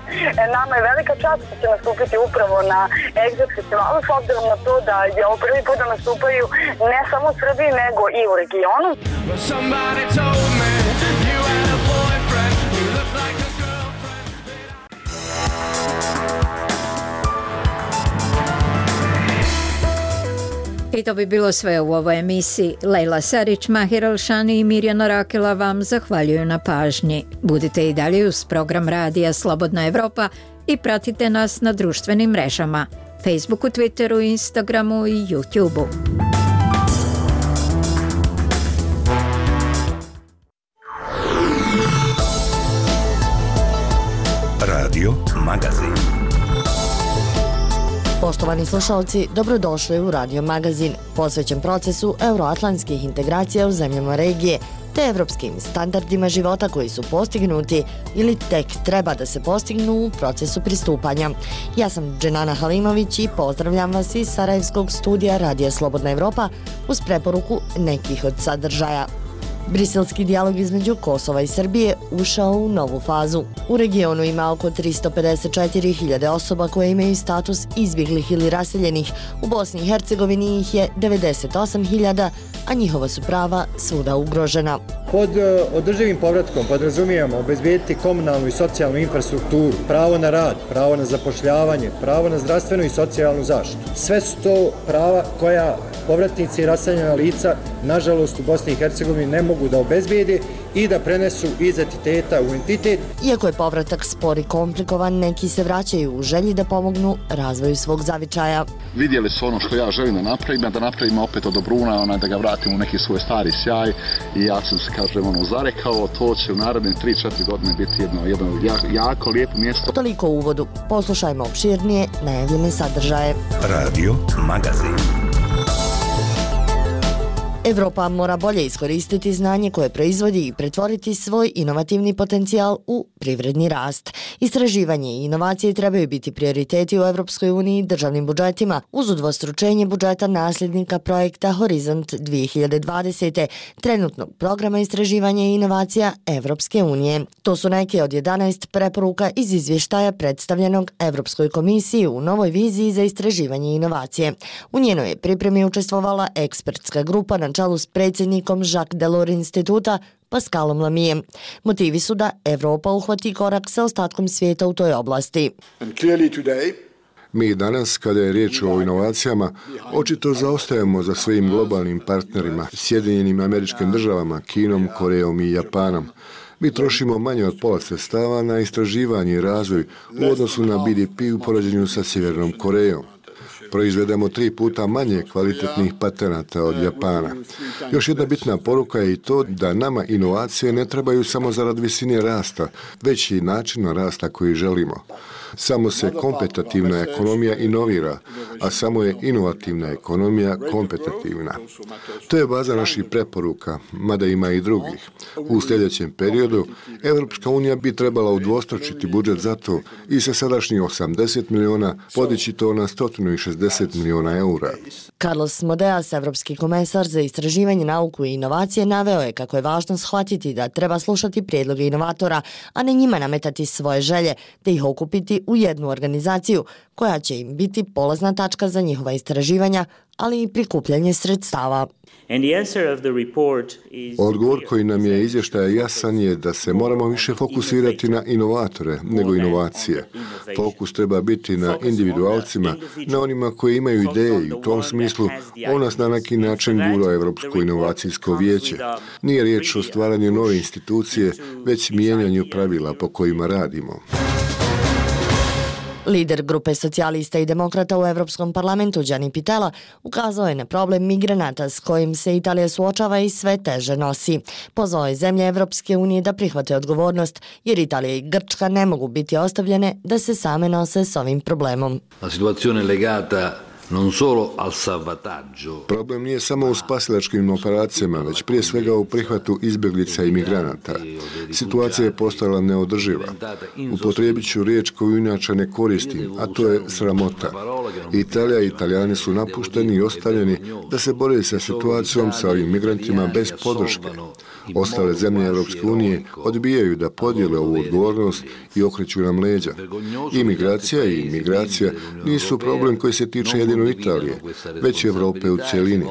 S3: Nama je velika čast što će nastupiti upravo na Exit festivalu, s obzirom na to da je ovo prvi put da nastupaju ne samo u Srbiji, nego i u regionu.
S1: I to bi bilo sve u ovoj emisiji. Lejla Sarić, Mahir Alšani i Mirjana Rakela vam zahvaljuju na pažnji. Budite i dalje uz program Radija Slobodna Evropa i pratite nas na društvenim mrežama Facebooku, Twitteru, Instagramu i YouTubeu.
S12: Radio Magazin.
S4: Poštovani slušalci, dobrodošli u Radio Magazin, posvećen procesu euroatlantskih integracija u zemljama regije, te evropskim standardima života koji su postignuti ili tek treba da se postignu u procesu pristupanja. Ja sam Dženana Halimović i pozdravljam vas iz Sarajevskog studija Radija Slobodna Evropa uz preporuku nekih od sadržaja. Briselski dijalog između Kosova i Srbije ušao u novu fazu. U regionu ima oko 354.000 osoba koje imaju status izbjeglih ili raseljenih. U Bosni i Hercegovini ih je 98.000, a njihova su prava svuda ugrožena.
S5: Pod održivim povratkom podrazumijemo obezbijediti komunalnu i socijalnu infrastrukturu, pravo na rad, pravo na zapošljavanje, pravo na zdravstvenu i socijalnu zaštitu. Sve su to prava koja povratnici i raseljena lica, nažalost, u Bosni i Hercegovini ne mogu da obezbijede i da prenesu iz entiteta u entitet.
S4: Iako je povratak spor i komplikovan, neki se vraćaju u želji da pomognu razvoju svog zavičaja.
S16: Vidjeli su ono što ja želim da napravim opet od Dobruna, da ga vratim u neki svoj stari sjaj i ja sam se, zarekao, to će u naredne 3-4 godine biti jedno jako lijepo mjesto.
S4: Toliko u uvodu. Poslušajmo opširnije najavljene sadržaje.
S12: Radio Magazin.
S4: Evropa mora bolje iskoristiti znanje koje proizvodi i pretvoriti svoj inovativni potencijal u privredni rast. Istraživanje i inovacije trebaju biti prioriteti u Evropskoj uniji državnim budžetima uz udvostručenje budžeta nasljednika projekta Horizont 2020. trenutnog programa istraživanja i inovacija Evropske unije. To su neke od 11 preporuka iz izvještaja predstavljenog Evropskoj komisiji u novoj viziji za istraživanje i inovacije. U njenoj je pripremi učestvovala ekspertska grupa na čelu s predsjednikom Jacques Delors instituta Pascalom Lamijem. Motivi su da Evropa uhvati korak sa ostatkom svijeta u toj oblasti.
S20: Mi danas, kada je riječ o inovacijama, očito zaostajemo za svojim globalnim partnerima, Sjedinjenim Američkim Državama, Kinom, Korejom i Japanom. Mi trošimo manje od pola sredstava na istraživanje i razvoj u odnosu na BDP u poređenju sa Sjevernom Korejom. Proizvedemo 3 puta manje kvalitetnih patenata od Japana. Još jedna bitna poruka je i to da nama inovacije ne trebaju samo zarad visine rasta, već i načina rasta koji želimo. Samo se kompetitivna ekonomija inovira, a samo je inovativna ekonomija kompetitivna. To je baza naših preporuka, mada ima i drugih. U sljedećem periodu Evropska unija bi trebala udvostručiti budžet za to i sa sadašnjih 80 miliona podići to na 160 miliona eura.
S4: Carlos Modeas, evropski komesar za istraživanje, nauku i inovacije, naveo je kako je važno shvatiti da treba slušati prijedloge inovatora, a ne njima nametati svoje želje, te ih okupiti u jednu organizaciju koja će im biti polazna tačka za njihova istraživanja, ali i prikupljanje sredstava.
S20: Odgovor koji nam je izvještaj jasan je da se moramo više fokusirati na inovatore nego inovacije. Fokus treba biti na individualcima, na onima koji imaju ideje i u tom smislu on nas na neki način gura Evropsko inovacijsko vijeće. Nije riječ o stvaranju nove institucije, već mijenjanju pravila po kojima radimo.
S4: Lider grupe socijalista i demokrata u Evropskom parlamentu Gianni Pittella ukazao je na problem migranata s kojim se Italija suočava i sve teže nosi. Pozvao je zemlje Evropske unije da prihvate odgovornost, jer Italija i Grčka ne mogu biti ostavljene da se same nose s ovim problemom.
S21: La situazione legata non solo al salvataggio.
S20: Problem nije samo u spasilačkim operacijama, već prije svega u prihvatu izbjeglica i migranata. situacija je postala neodrživa. Upotrijebit ću riječ koju inače ne koristim, a to je sramota. Italija i Italijani su napušteni i ostavljeni da se bore sa situacijom sa ovim migrantima bez podrške. Ostale zemlje Europske unije odbijaju da podijele ovu odgovornost i okreću nam leđa. Imigracija i migracija nisu problem koji se tiče jedino Italije, već i Evrope u cjelini.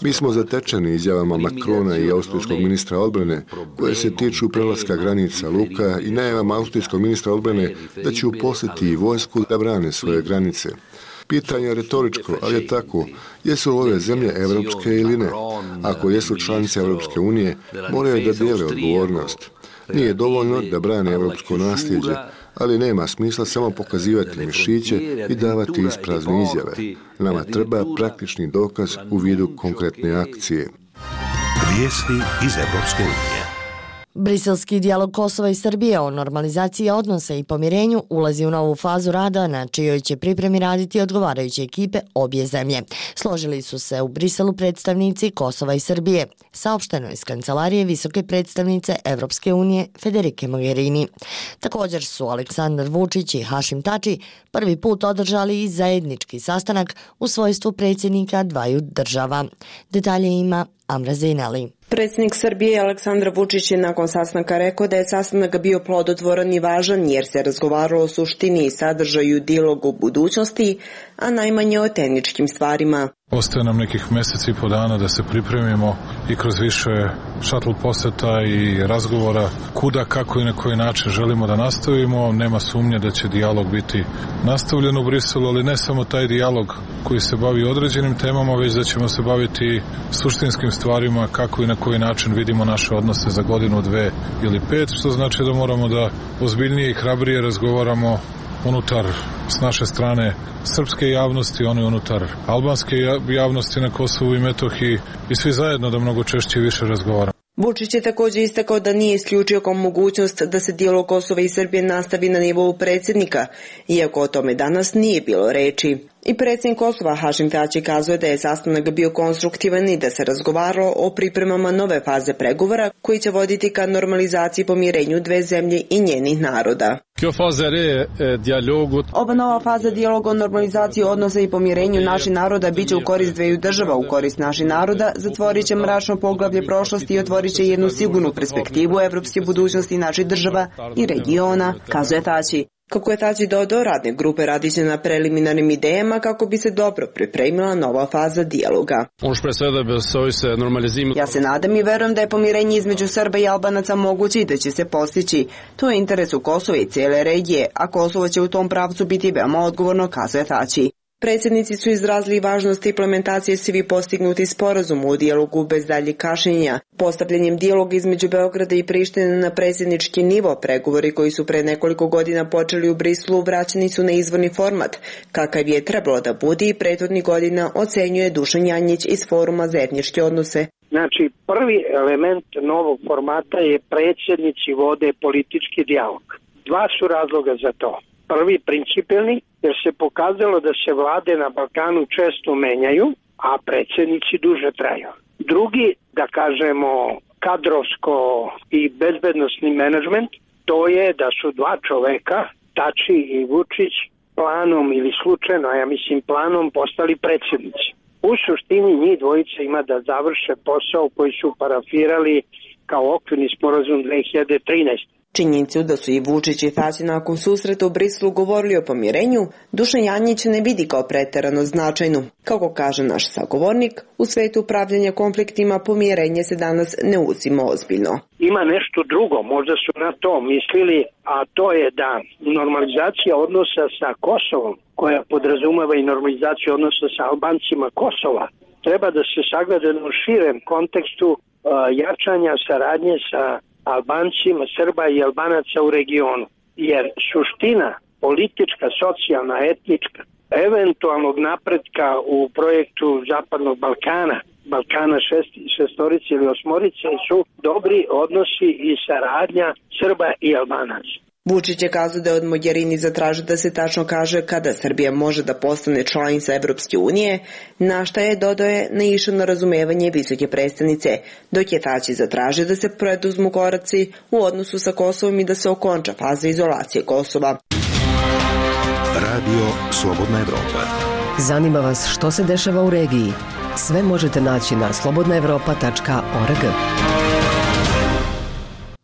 S20: Mi smo zatečeni izjavama Macrona i austrijskog ministra odbrane koje se tiču prelaska granica luka i najavama austrijskog ministra odbrane da će uposliti i vojsku da brane svoje granice. Pitanje je retoričko, ali je tako. Jesu li ove zemlje evropske ili ne? Ako jesu članice Evropske unije, moraju da dijele odgovornost. Nije dovoljno da brane evropsko nasljeđe, ali nema smisla samo pokazivati mišiće i davati isprazne izjave. Nama treba praktični dokaz u vidu konkretne akcije.
S12: Vijesti iz Evropske unije.
S4: Briselski dijalog Kosova i Srbije o normalizaciji odnosa i pomirenju ulazi u novu fazu rada na čijoj će pripremi raditi odgovarajuće ekipe obje zemlje. Složili su se u Briselu predstavnici Kosova i Srbije, saopšteno iz kancelarije visoke predstavnice Evropske unije Federike Mogherini. Također su Aleksandar Vučić i Hašim Tači prvi put održali i zajednički sastanak u svojstvu predsjednika dvaju država. Detalje ima Amra Zejnali.
S2: Predsjednik Srbije Aleksandar Vučić je nakon sastanka rekao da je sastanak bio plodotvoran i važan jer se razgovaralo o suštini i sadržaju dijaloga u budućnosti, a najmanje o tehničkim stvarima.
S7: Ostaje nam nekih mjeseci i po dana da se pripremimo i kroz više šatl poseta i razgovora kuda, kako i na koji način želimo da nastavimo. Nema sumnje da će dijalog biti nastavljen u Briselu, ali ne samo taj dijalog koji se bavi određenim temama, već da ćemo se baviti suštinskim stvarima, kako i na koji način vidimo naše odnose za godinu, 2 ili 5, što znači da moramo da ozbiljnije i hrabrije razgovaramo unutar, s naše strane, srpske javnosti, one unutar albanske javnosti na Kosovu i Metohiji i svi zajedno da mnogo češće i više razgovaramo.
S2: Vučić je također istakao da nije isključio kao mogućnost da se dijalog Kosova i Srbije nastavi na nivou predsjednika, iako o tome danas nije bilo reči. I predsjednik Kosova Hašim Tači kazuje da je sastanak bio konstruktivan i da se razgovaralo o pripremama nove faze pregovora koji će voditi ka normalizaciji i pomirenju dve zemlje i njenih naroda. Ova nova faza dijaloga o normalizaciji odnosa i pomirenju naših naroda biće u korist dveju država, u korist naših naroda, zatvorit će mračno poglavlje prošlosti i otvorit će jednu sigurnu perspektivu evropske budućnosti naših država i regiona, kazuje Tači. Kako je Tači dodao, radne grupe radiće na preliminarnim idejama kako bi se dobro pripremila nova faza dijaloga. Ja se nadam i verujem da je pomirenje između Srba i Albanaca moguće i da će se postići. To je interes u Kosova i cijele regije, a Kosovo će u tom pravcu biti veoma odgovorno, kazuje Tači. Predsjednici su izrazili važnost implementacije svi postignuti sporazum u dijalogu bez daljih kašnjenja. Postavljanjem dijaloga između Beograda i Prištine na predsjednički nivo, pregovori koji su pre nekoliko godina počeli u Briselu vraćeni su na izvorni format, kakav je trebalo da bude i prethodnih godina, ocenjuje Dušan Janjić iz Foruma za etničke odnose.
S19: Znači, prvi element novog formata je predsjednici vode politički dijalog. Dva su razloga za to. Prvi, principijelni, jer se pokazalo da se vlade na Balkanu često menjaju, a predsjednici duže traju. Drugi, da kažemo, kadrovsko i bezbednosni menadžment, to je da su dva čoveka, Tači i Vučić, planom ili slučajno, a ja mislim planom, postali predsjednici. U suštini njih dvojica ima da završe posao koji su parafirali kao okvirni sporazum 2013.
S2: Činjenicu da su i Vučić i Tači nakon susreta u Briselu govorili o pomirenju, Dušan Janjić ne vidi kao preterano značajnu. Kako kaže naš sagovornik, u svetu upravljanja konfliktima pomirenje se danas ne uzima ozbiljno.
S19: Ima nešto drugo, možda su na to mislili, a to je da normalizacija odnosa sa Kosovom, koja podrazumeva i normalizaciju odnosa sa Albancima Kosova, treba da se sagleda u širem kontekstu jačanja saradnje sa Albancima, Srba i Albanaca u regionu. Jer suština politička, socijalna, etnička, eventualnog napretka u projektu Zapadnog Balkana šestorice ili osmorice su dobri odnosi i saradnja Srba i Albanaca.
S2: Vučić je kazao da je od Mogherini zatražio da se tačno kaže kada Srbija može da postane članica Evropske unije, na šta je, dodao je, naišao na razumevanje visoke predstavnice, dok je Tači zatražio da se preduzmu koraci u odnosu sa Kosovom i da se okonča faza izolacije Kosova.
S12: Radio Slobodna Evropa.
S10: Zanima vas što se dešava u regiji? Sve možete naći na slobodnaevropa.org.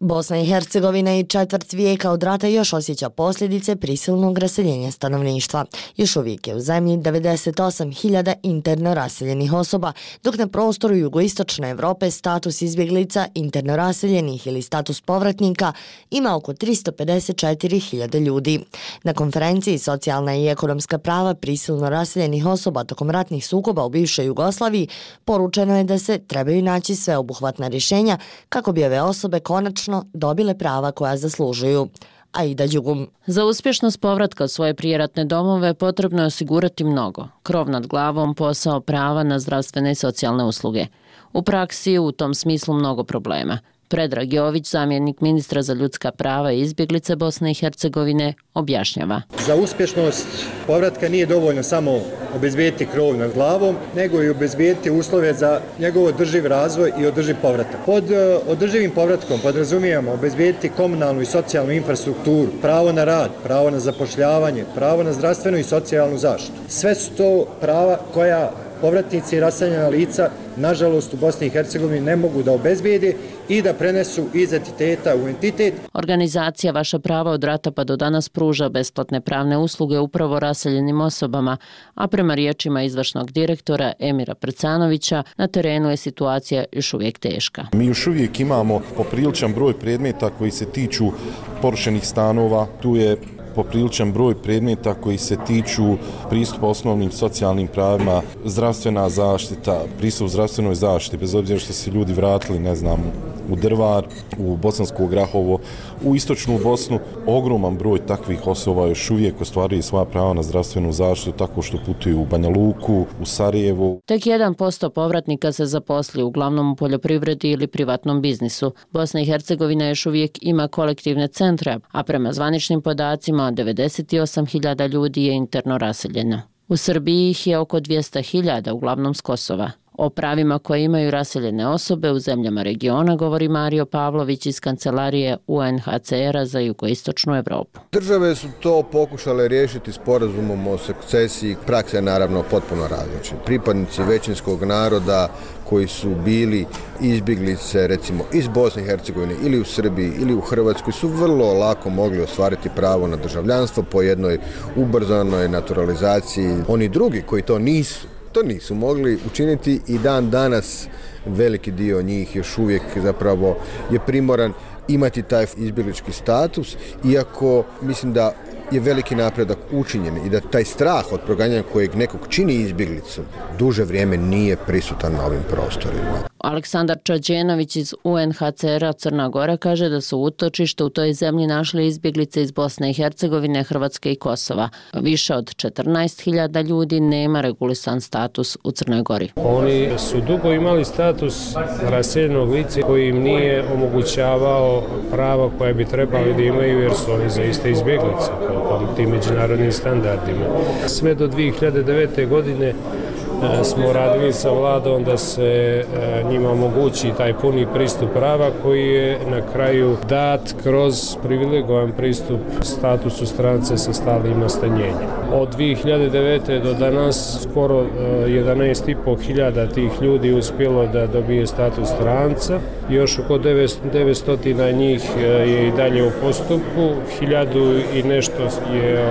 S4: Bosna i Hercegovina i četvrt vijeka od rata još osjeća posljedice prisilnog raseljenja stanovništva. Još uvijek je u zemlji 98.000 interno raseljenih osoba, dok na prostoru jugoistočne Evrope status izbjeglica, interno raseljenih ili status povratnika ima oko 354.000 ljudi. Na konferenciji Socijalna i ekonomska prava prisilno raseljenih osoba tokom ratnih sukoba u bivšoj Jugoslaviji poručeno je da se trebaju naći sveobuhvatna rješenja kako bi ove osobe konačno dobile prava koja zaslužuju. Aida Đugum.
S8: Za uspješnost povratka u svoje prijeratne domove potrebno je osigurati mnogo. Krov nad glavom, posao, prava na zdravstvene i socijalne usluge. U praksi je u tom smislu mnogo problema. Predrag Jović, zamjenik ministra za ljudska prava i izbjeglice Bosne i Hercegovine, objašnjava.
S5: Za uspješnost povratka nije dovoljno samo obezbijediti krov nad glavom, nego i obezbijediti uslove za njegov održiv razvoj i održiv povratak. Pod održivim povratkom podrazumijemo obezbijediti komunalnu i socijalnu infrastrukturu, pravo na rad, pravo na zapošljavanje, pravo na zdravstvenu i socijalnu zaštitu. Sve su to prava koja povratnici i raseljena lica, nažalost, u Bosni i Hercegovini ne mogu da obezbijede i da prenesu iz entiteta u entitet.
S8: Organizacija Vaša prava od rata pa do danas pruža besplatne pravne usluge upravo raseljenim osobama, a prema riječima izvršnog direktora Emira Prcanovića, na terenu je situacija još uvijek teška.
S11: Mi još uvijek imamo popriličan broj predmeta koji se tiču porušenih stanova, tu je popriličan broj predmeta koji se tiču pristupa osnovnim socijalnim pravima, zdravstvena zaštita, pristup zdravstvenoj zaštiti, bez obzira što se ljudi vratili, ne znam, u Drvar, u Bosansko Grahovo, u istočnu Bosnu, ogroman broj takvih osoba još uvijek ostvaruje svoja prava na zdravstvenu zaštitu tako što putuju u Banja Luku, u Sarajevo.
S8: Tek 1% povratnika se zaposli uglavnom u poljoprivredi ili privatnom biznisu. Bosna i Hercegovina još uvijek ima kolektivne centre, a prema zvaničnim podacima 98.000 ljudi je interno raseljeno. U Srbiji ih je oko 200.000, uglavnom s Kosova. O pravima koje imaju raseljene osobe u zemljama regiona govori Mario Pavlović iz kancelarije UNHCR-a za jugoistočnu Evropu.
S22: Države su to pokušale riješiti sporazumom o sukcesiji, praksa je naravno potpuno različita. Pripadnici većinskog naroda koji su bili izbjeglice recimo iz Bosne i Hercegovine ili u Srbiji ili u Hrvatskoj su vrlo lako mogli ostvariti pravo na državljanstvo po jednoj ubrzanoj naturalizaciji. Oni drugi koji to nisu mogli učiniti i dan danas veliki dio njih još uvijek zapravo je primoran imati taj izbjeglički status, iako mislim da je veliki napredak učinjen i da taj strah od proganjanja kojeg nekog čini izbjeglicom duže vrijeme nije prisutan na ovim prostorima.
S8: Aleksandar Čađenović iz UNHCR-a Crna Gora kaže da su utočište u toj zemlji našli izbjeglice iz Bosne i Hercegovine, Hrvatske i Kosova. Više od 14.000 ljudi nema regulisan status u Crnoj Gori.
S23: Oni su dugo imali status raseljenog lica koji im nije omogućavao prava koje bi trebali da imaju jer su oni zaista izbjeglice po tim međunarodnim standardima. Sve do 2009. godine smo radili sa vladom da se njima omogući taj puni pristup prava koji je na kraju dat kroz privilegovan pristup statusu strance sa stalnim nastanjenjem. Od 2009. do danas skoro 11.500 tih ljudi uspjelo da dobije status stranca. Još oko 900 njih je i dalje u postupku, 1000 i nešto je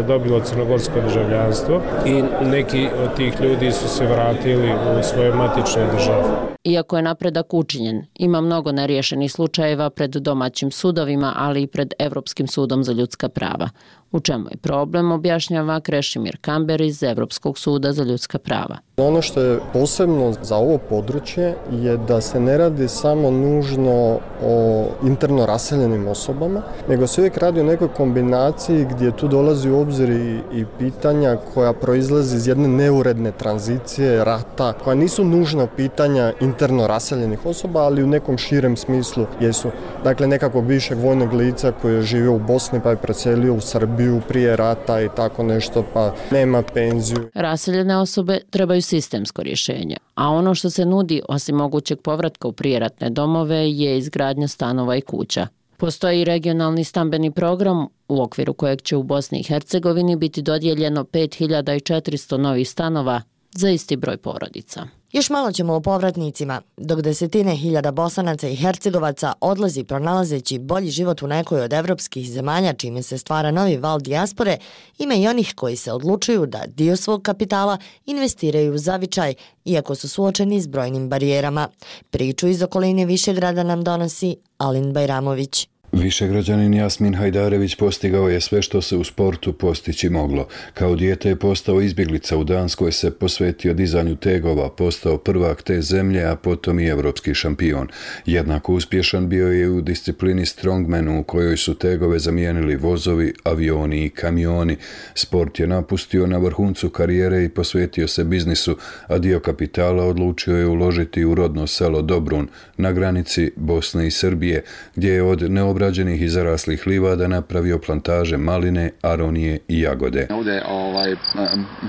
S23: dobilo crnogorsko državljanstvo i neki od tih ljudi su se vratili u svoje matične države.
S8: Iako je napredak učinjen, ima mnogo neriješenih slučajeva pred domaćim sudovima, ali i pred Evropskim sudom za ljudska prava. U čemu je problem, objašnjava Krešimir Kamber iz Evropskog suda za ljudska prava.
S24: Ono što je posebno za ovo područje je da se ne radi samo nužno o interno raseljenim osobama, nego se uvijek radi o nekoj kombinaciji gdje tu dolazi u obzir i pitanja koja proizlazi iz jedne neuredne tranzicije, rata, koja nisu nužno pitanja interno raseljenih osoba, ali u nekom širem smislu jesu. Dakle, nekakvog višeg vojnog lica koji je živio u Bosni pa je preselio u Srbiju prije rata i tako nešto, pa nema penziju.
S8: Raseljene osobe trebaju sistemsko rješenje, a ono što se nudi osim mogućeg povratka u prijeratne domove je izgradnja stanova i kuća. Postoji i regionalni stambeni program u okviru kojeg će u Bosni i Hercegovini biti dodijeljeno 5400 novih stanova za isti broj porodica.
S4: Još malo ćemo o povratnicima. Dok desetine hiljada Bosanaca i Hercegovaca odlazi pronalazeći bolji život u nekoj od evropskih zemalja čime se stvara novi val dijaspore, ima i onih koji se odlučuju da dio svog kapitala investiraju u zavičaj, iako su suočeni s brojnim barijerama. Priču iz okoline Višegrada nam donosi Alin Bajramović.
S6: Višegrađanin Jasmin Hajdarević postigao je sve što se u sportu postići moglo. Kao dijete je postao izbjeglica u Danskoj, se posvetio dizanju tegova, postao prvak te zemlje, a potom i evropski šampion. Jednako uspješan bio je u disciplini strongmanu u kojoj su tegove zamijenili vozovi, avioni i kamioni. Sport je napustio na vrhuncu karijere i posvetio se biznisu, a dio kapitala odlučio je uložiti u rodno selo Dobrun na granici Bosne i Srbije, gdje je od neobrađenih i zaraslih livada napravio plantaže maline, aronije i jagode.
S16: Ovdje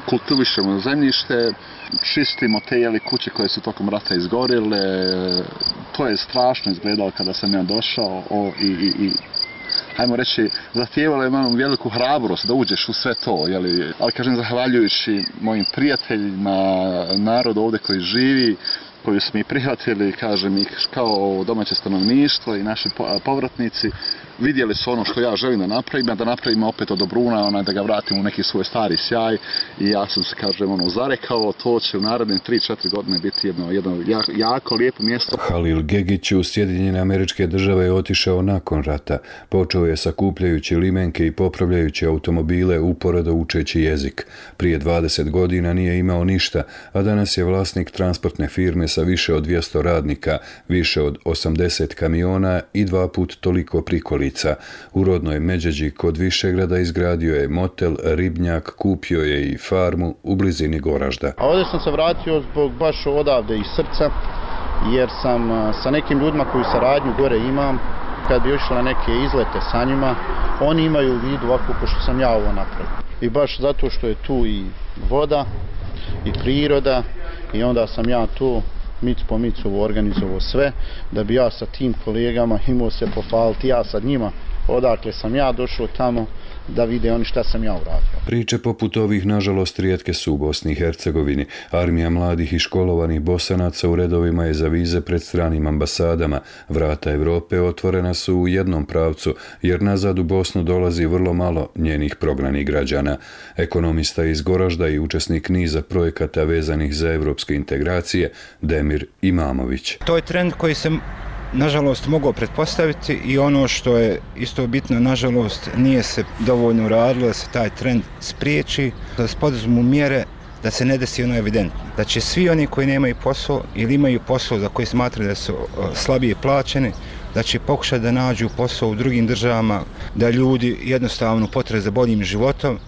S16: kultivišemo zemljište, čistimo te kuće koje su tokom rata izgorile. To je strašno izgledalo kada sam ja došao i hajmo reći, zahtijevalo je malo veliku hrabrost da uđeš u sve to, ali kažem, zahvaljujući mojim prijateljima, narodu ovdje koji živi, koju smo i prihvatili, kažem, i kao domaće stanovništvo i naši povratnici, vidjeli su ono što ja želim da napravim opet od Dobruna, da ga vratim u neki svoj stari sjaj, i ja sam se, kažem, zarekao, to će u naredne 3-4 godine biti jedno jako lijepo mjesto.
S6: Halil Gegić u Sjedinjene Američke Države je otišao nakon rata. Počeo je sakupljajući limenke i popravljajući automobile, uporedo učeći jezik. Prije 20 godina nije imao ništa, a danas je vlasnik transportne firme sa više od 200 radnika, više od 80 kamiona i 2 put toliko prikolica. U rodnoj Međeđi kod Višegrada izgradio je motel, ribnjak, kupio je i farmu u blizini Goražda.
S9: A ovdje sam se vratio zbog baš odavde iz srca, jer sam sa nekim ljudima koju saradnju gore imam, kad bi išla neke izlete sa njima, oni imaju u vidu ovako ko što sam ja ovo napravio. I baš zato što je tu i voda i priroda, i onda sam ja tu mic po micu organizovao sve, da bi ja sa tim kolegama imao se pohvaliti, ja sa njima odakle sam ja došao tamo, da vide oni šta sam ja uradio.
S6: Priče poput ovih, nažalost, rijetke su u Bosni i Hercegovini. Armija mladih i školovanih Bosanaca u redovima je za vize pred stranim ambasadama. Vrata Evrope otvorena su u jednom pravcu, jer nazad u Bosnu dolazi vrlo malo njenih prognanih građana. Ekonomista iz Goražda i učesnik niza projekata vezanih za evropske integracije, Demir Imamović.
S14: To je trend koji se nažalost mogao pretpostaviti, i ono što je isto bitno, nažalost nije se dovoljno uradilo da se taj trend spriječi, da se poduzmu mjere da se ne desi ono evidentno. Da će svi oni koji nemaju posao ili imaju posao za koji smatraju da su slabije plaćeni, da će pokušati da nađu posao u drugim državama, da ljudi jednostavno potrebe za boljim životom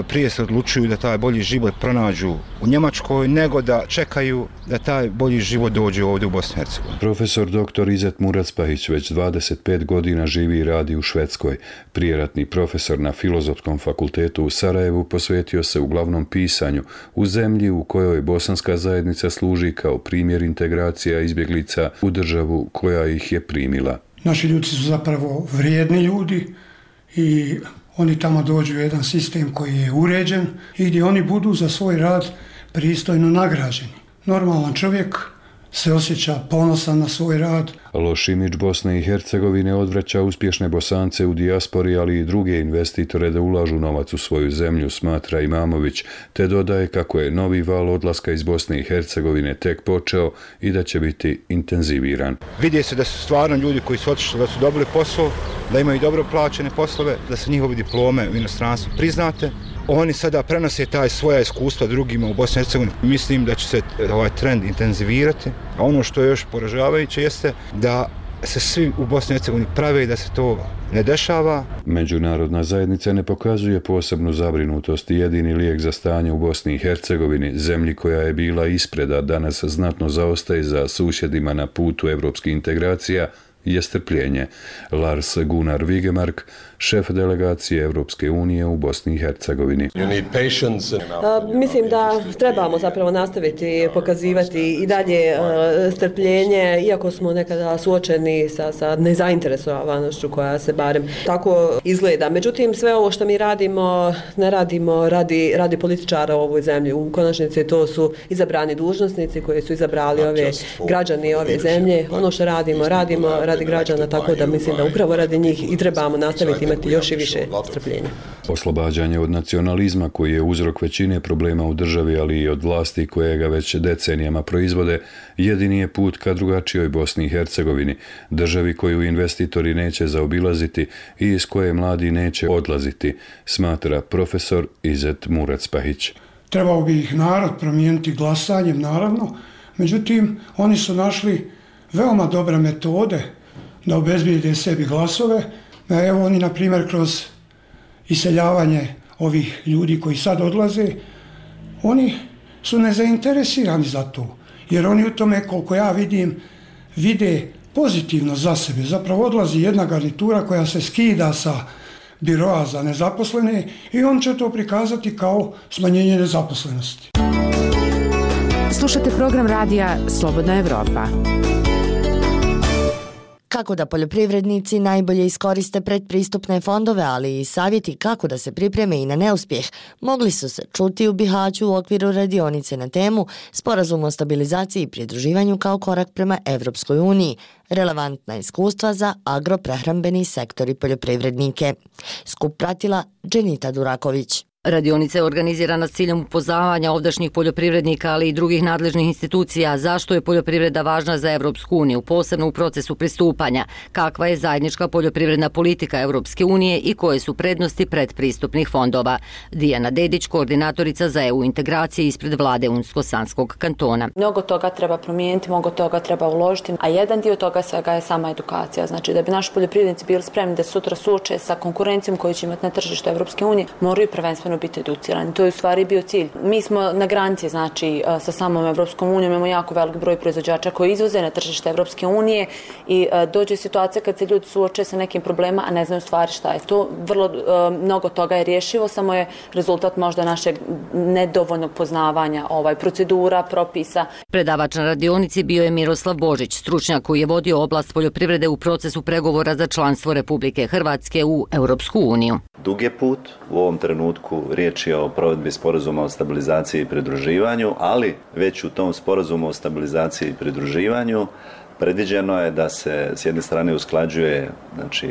S14: prije se odlučuju da taj bolji život pronađu u Njemačkoj, nego da čekaju da taj bolji život dođe ovdje u Bosni i Hercegovini.
S6: Profesor dr. Izet Muracpahić već 25 godina živi i radi u Švedskoj. Prijeratni profesor na Filozofskom fakultetu u Sarajevu posvetio se uglavnom pisanju u zemlji u kojoj bosanska zajednica služi kao primjer integracija izbjeglica u državu koja ih je primila.
S15: Naši ljudi su zapravo vrijedni ljudi i oni tamo dođu u jedan sistem koji je uređen i gdje oni budu za svoj rad pristojno nagrađeni. Normalan čovjek se osjeća ponosan na svoj rad.
S6: Loš imidž Bosne i Hercegovine odvraća uspješne Bosance u dijaspori, ali i druge investitore da ulažu novac u svoju zemlju, smatra Imamović, te dodaje kako je novi val odlaska iz Bosne i Hercegovine tek počeo i da će biti intenziviran.
S14: Vidi se da su stvarno ljudi koji su otišli, da su dobili posao, da imaju dobro plaćene poslove, da su njihove diplome u inostranstvu priznate. Oni sada prenose taj svoja iskustva drugima u Bosni i Hercegovini. Mislim da će se ovaj trend intenzivirati. A ono što je još poražavajuće jeste da se svi u Bosni i Hercegovini prave da se to ne dešava.
S6: Međunarodna zajednica ne pokazuje posebnu zabrinutost i jedini lijek za stanje u Bosni i Hercegovini, zemlji koja je bila ispred, a danas znatno zaostaje za susjedima na putu evropskih integracija, je strpljenje. Lars Gunnar Vigemark, šef delegacije Evropske unije u Bosni i Hercegovini.
S3: Mislim da trebamo zapravo nastaviti pokazivati i dalje strpljenje, iako smo nekada suočeni sa nezainteresovanošću koja se barem tako izgleda. Međutim, sve ovo što mi radimo, ne radimo radi političara u ovoj zemlji. U konačnici to su izabrani dužnosnici koji su izabrali ove građani ove zemlje. Ono što radimo radi građana, tako da mislim da upravo radi njih i trebamo nastaviti imati još i više strpljenja.
S6: Oslobađanje od nacionalizma koji je uzrok većine problema u državi, ali i od vlasti koje ga već decenijama proizvode, jedini je put ka drugačijoj Bosni i Hercegovini, državi koju investitori neće zaobilaziti i iz koje mladi neće odlaziti, smatra profesor Izet Murac-Pahić.
S15: Trebao bi ih narod promijeniti glasanjem, naravno, međutim, oni su našli veoma dobre metode da obezbijede sebi glasove. Evo oni, na primjer, kroz iseljavanje ovih ljudi koji sad odlaze, oni su nezainteresirani za to, jer oni u tome, koliko ja vidim, vide pozitivno za sebe. Zapravo odlazi jedna garnitura koja se skida sa biroa za nezaposlene i on će to prikazati kao smanjenje nezaposlenosti.
S13: Slušate program radija Slobodna Evropa.
S4: Kako da poljoprivrednici najbolje iskoriste predpristupne fondove, ali i savjeti kako da se pripreme i na neuspjeh, mogli su se čuti u Bihaću u okviru radionice na temu Sporazum o stabilizaciji i pridruživanju kao korak prema Evropskoj uniji, relevantna iskustva za agroprehrambeni sektor i poljoprivrednike. Skup pratila Dženita Duraković.
S17: Radionica je organizirana s ciljem upoznavanja ovdašnjih poljoprivrednika, ali i drugih nadležnih institucija zašto je poljoprivreda važna za Evropsku uniju, posebno u procesu pristupanja, kakva je zajednička poljoprivredna politika Evropske unije i koje su prednosti predpristupnih fondova. Dijana Dedić, koordinatorica za EU integracije ispred vlade Unsko-Sanskog kantona.
S18: Mnogo toga treba promijeniti, mnogo toga treba uložiti, a jedan dio toga svega je sama edukacija. Znači da bi naši poljoprivrednici bili spremni da sutra suoče sa konkurencijom koju će imati na tržištu Evropske unije, moraju prvenstveno biti educirani. To je u stvari bio cilj. Mi smo na granici, znači, sa samom Evropskom unijom, imamo jako velik broj proizvođača koji izvoze na tržište Evropske unije i dođe situacija kad se ljudi suoče sa nekim problema, a ne znaju u stvari šta je to. Vrlo mnogo toga je rješivo, samo je rezultat možda našeg nedovoljnog poznavanja procedura, propisa.
S17: Predavač na radionici bio je Miroslav Božić, stručnjak koji je vodio oblast poljoprivrede u procesu pregovora za članstvo Republike Hrvatske u Europsku uniju.
S25: Dug je put, u ovom trenutku riječ je o provedbi sporazuma o stabilizaciji i pridruživanju, ali već u tom sporazumu o stabilizaciji i pridruživanju predviđeno je da se s jedne strane usklađuje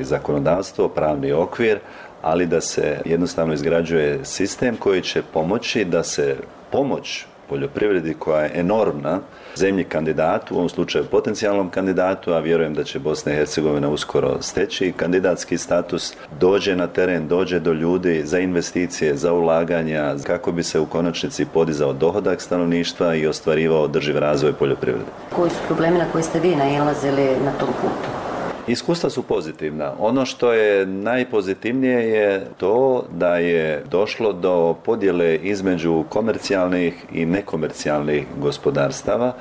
S25: zakonodavstvo, pravni okvir, ali da se jednostavno izgrađuje sistem koji će pomoći da se pomoć poljoprivredi koja je enormna zemlji kandidatu, u ovom slučaju potencijalnom kandidatu, a vjerujem da će Bosna i Hercegovina uskoro steći kandidatski status, dođe na teren, dođe do ljudi za investicije, za ulaganja, kako bi se u konačnici podizao dohodak stanovništva i ostvarivao održiv razvoj poljoprivrede.
S17: Koji su problemi na koje ste vi nailazili na tom putu?
S25: Iskustva su pozitivna. Ono što je najpozitivnije je to da je došlo do podjele između komercijalnih i nekomercijalnih gospodarstava,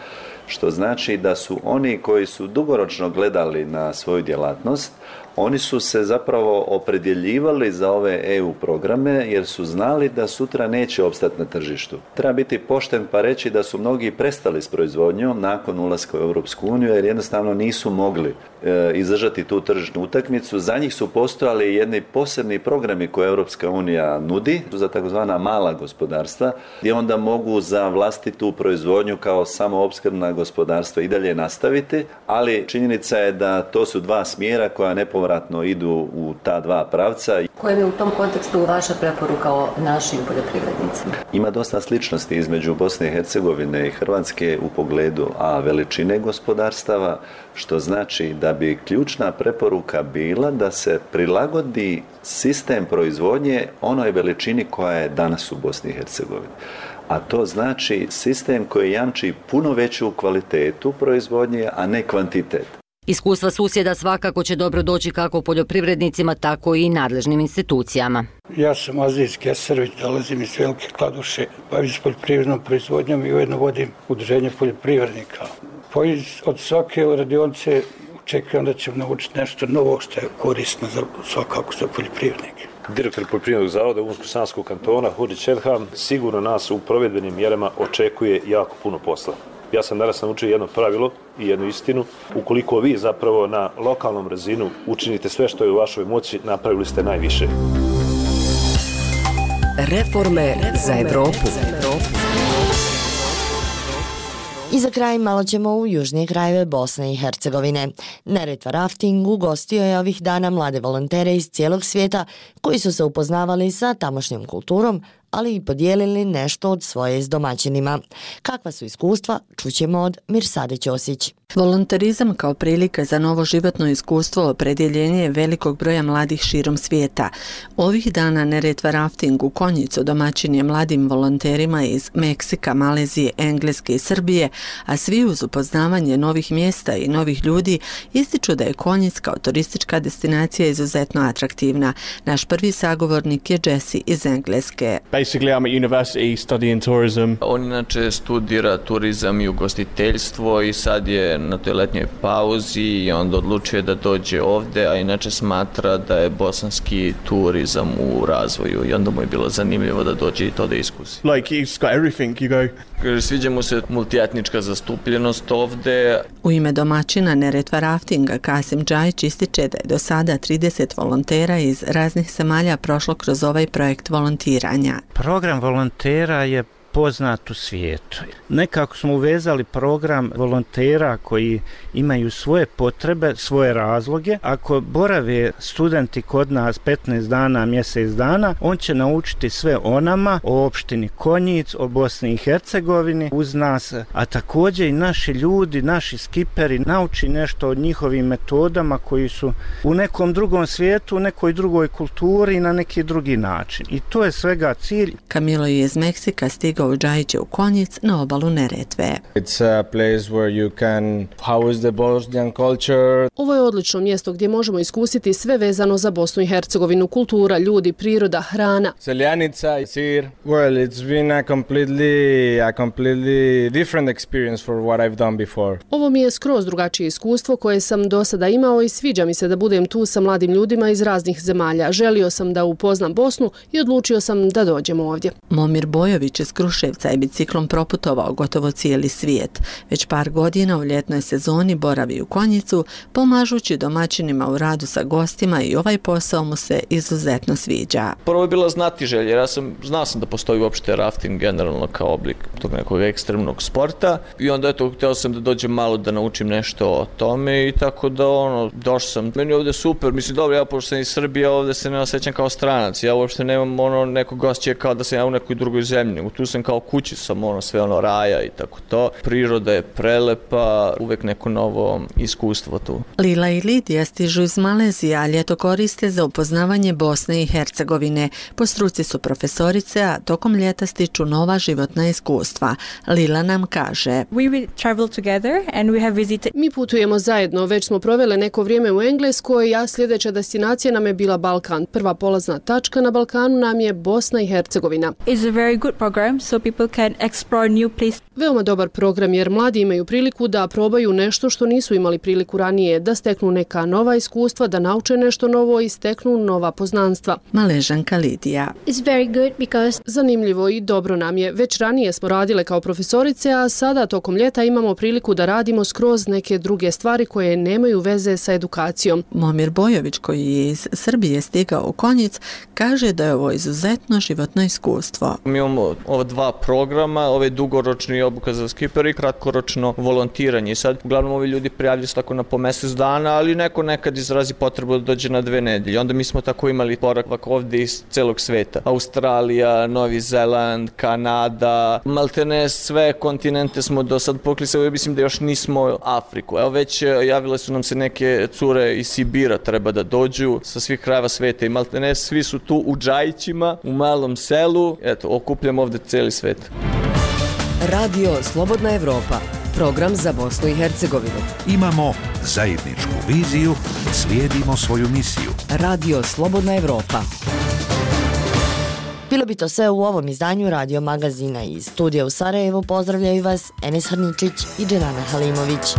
S25: što znači da su oni koji su dugoročno gledali na svoju djelatnost, oni su se zapravo opredjeljivali za ove EU programe jer su znali da sutra neće opstati na tržištu. Treba biti pošten pa reći da su mnogi prestali s proizvodnjom nakon ulaska u Europsku uniju jer jednostavno nisu mogli izdržati tu tržišnu utakmicu. Za njih su postojali jedni posebni programi koje Europska unija nudi za takozvana mala gospodarstva gdje onda mogu za vlastitu proizvodnju kao samoopskrbna gospodarstva i dalje nastaviti, ali činjenica je da to su dva smjera koja nepovratno idu u ta dva pravca.
S17: Koja je u tom kontekstu vaša preporuka o našim poljoprivrednicima?
S25: Ima dosta sličnosti između Bosne i Hercegovine i Hrvatske u pogledu veličine gospodarstava, što znači da bi ključna preporuka bila da se prilagodi sistem proizvodnje onoj veličini koja je danas u Bosni i Hercegovini. A to znači sistem koji jamči puno veću kvalitetu proizvodnje, a ne kvantitet.
S17: Iskustva susjeda svakako će dobro doći kako poljoprivrednicima, tako i nadležnim institucijama.
S1: Ja sam Aziz Keserović, dolazim iz Velike Kladuše, bavim se poljoprivrednom proizvodnjom i ujedno vodim udruženje poljoprivrednika. Od svake radionice očekujem da ćemo naučiti nešto novo što je korisno svakako za poljoprivrednike.
S7: Direktor Poljoprivrednog zavoda Unsko-Sanskog kantona Hurić Edham sigurno nas u provedbenim mjerama očekuje jako puno posla. Ja sam danas naučio jedno pravilo i jednu istinu. Ukoliko vi zapravo na lokalnom razinu učinite sve što je u vašoj moći, napravili ste najviše.
S10: Reforme za Evropu.
S4: I za kraj malo ćemo u južnije krajeve Bosne i Hercegovine. Neretva Rafting ugostio je ovih dana mlade volontere iz cijelog svijeta koji su se upoznavali sa tamošnjom kulturom, ali i podijelili nešto od svoje s domaćinima. Kakva su iskustva, čućemo od Mirsade Ćosić.
S19: Volonterizam kao prilika za novo životno iskustvo opredjeljenje je velikog broja mladih širom svijeta. Ovih dana Neretva Rafting u Konjicu domaćin je mladim volonterima iz Meksika, Malezije, Engleske i Srbije, a svi uz upoznavanje novih mjesta i novih ljudi ističu da je Konjic kao turistička destinacija izuzetno atraktivna. Naš prvi sagovornik je Jesse iz Engleske.
S20: Basically, I'm at university studying tourism.
S21: On inače studira turizam i ugostiteljstvo i sad je na toj letnjoj pauzi i onda odlučuje da dođe ovde, a inače smatra da je bosanski turizam u razvoju i onda mu je bilo zanimljivo da dođe i to da iskusi.
S20: Like, he's got everything, you go.
S21: Sviđa mu se multietnička zastupljenost ovde.
S19: U ime domaćina Neretva Raftinga Kasim Džajić ističe da je do sada 30 volontera iz raznih zemalja prošlo kroz ovaj projekt volontiranja.
S26: Program volontera je poznat u svijetu. Nekako smo uvezali program volontera koji imaju svoje potrebe, svoje razloge. Ako borave studenti kod nas 15 dana, mjesec dana, on će naučiti sve o nama, o opštini Konjic, o Bosni i Hercegovini uz nas, a također i naši ljudi, naši skiperi nauči nešto o njihovim metodama koji su u nekom drugom svijetu, u nekoj drugoj kulturi i na neki drugi način. I to je svega cilj.
S19: Kamilo je iz Meksika stigao u Džajiće u Konjic na obalu Neretve.
S26: It's a place where you can house the Bosnian culture.
S27: Ovo je odlično mjesto gdje možemo iskusiti sve vezano za Bosnu i Hercegovinu, kultura, ljudi, priroda, hrana.
S26: Seljanica, sir. Well, it's been a completely different experience for what I've done before.
S27: Ovo mi je skroz drugačije iskustvo koje sam do sada imao i sviđa mi se da budem tu sa mladim ljudima iz raznih zemalja. Želio sam da upoznam Bosnu i odlučio sam da dođem ovdje.
S19: Momir Bojović iz Kruševca je biciklom proputovao gotovo cijeli svijet. Već par godina u ljetnoj sezoni boravi u Konjicu, pomažući domaćinima u radu sa gostima i ovaj posao mu se izuzetno sviđa.
S21: Prvo je bila znatiželja, jer znao sam da postoji uopšte rafting generalno kao oblik tog nekog ekstremnog sporta i onda htio sam da dođem malo da naučim nešto o tome i tako da došao sam. Meni je ovdje super, mislim dobro, ja pošto sam iz Srbije, ovdje se ne osjećam kao stranac, ja uopšte nemam nekog osjećaja kao da sam ja u nekoj drugoj zemlji, nego tu sam kao kući, sam sve raja i tako to. Priroda je prelepa, uvek neko novo iskustvo tu.
S19: Lila i Lidija stižu iz Malezije, a ljeto koriste za upoznavanje Bosne i Hercegovine. Po struci su profesorice, a tokom ljeta stiču nova životna iskustva. Lila nam kaže:
S27: Mi putujemo zajedno, već smo provele neko vrijeme u Engleskoj, a sljedeća destinacija nam je bila Balkan. Prva polazna tačka na Balkanu nam je Bosna i Hercegovina. Veoma dobar program jer mladi imaju priliku da probaju nešto što nisu imali priliku ranije, da steknu neka nova iskustva, da nauče nešto novo i steknu nova poznanstva.
S19: Maležanka Lidija:
S27: Zanimljivo i dobro nam je. Već ranije smo radile kao profesorice, a sada tokom ljeta imamo priliku da radimo skroz neke druge stvari koje nemaju veze sa edukacijom.
S19: Momir Bojović, koji je iz Srbije stigao u Konjic, kaže da je ovo izuzetno životno iskustvo.
S21: Mi imamo ova dva programa, ovaj dugoročni obuka za skipera i kratkoročno volontiranje. Sad, uglavnom ovi ljudi prijavljaju se tako na po mjesec dana, ali neko nekad izrazi potrebu da dođe na 2 nedelje. Onda mi smo tako imali boravak ovdje iz celog sveta. Australija, Novi Zeland, Kanada, maltene sve kontinente smo do sad poklisali, mislim da još nismo Afriku. Evo već javile su nam se neke cure iz Sibira, treba da dođu sa svih krajeva sveta i maltene svi su tu u Džajićima, u malom selu. Eto, okupljamo ovdje cijeli svijet.
S10: Radio Slobodna Evropa, program za Bosnu i Hercegovinu.
S2: Imamo zajedničku viziju, slijedimo svoju misiju.
S10: Radio Slobodna Evropa.
S4: Bilo bi to sve u ovom izdanju Radio Magazina. Iz studija u Sarajevu pozdravljaju vas Enes Hrničić i Dženana Halimović.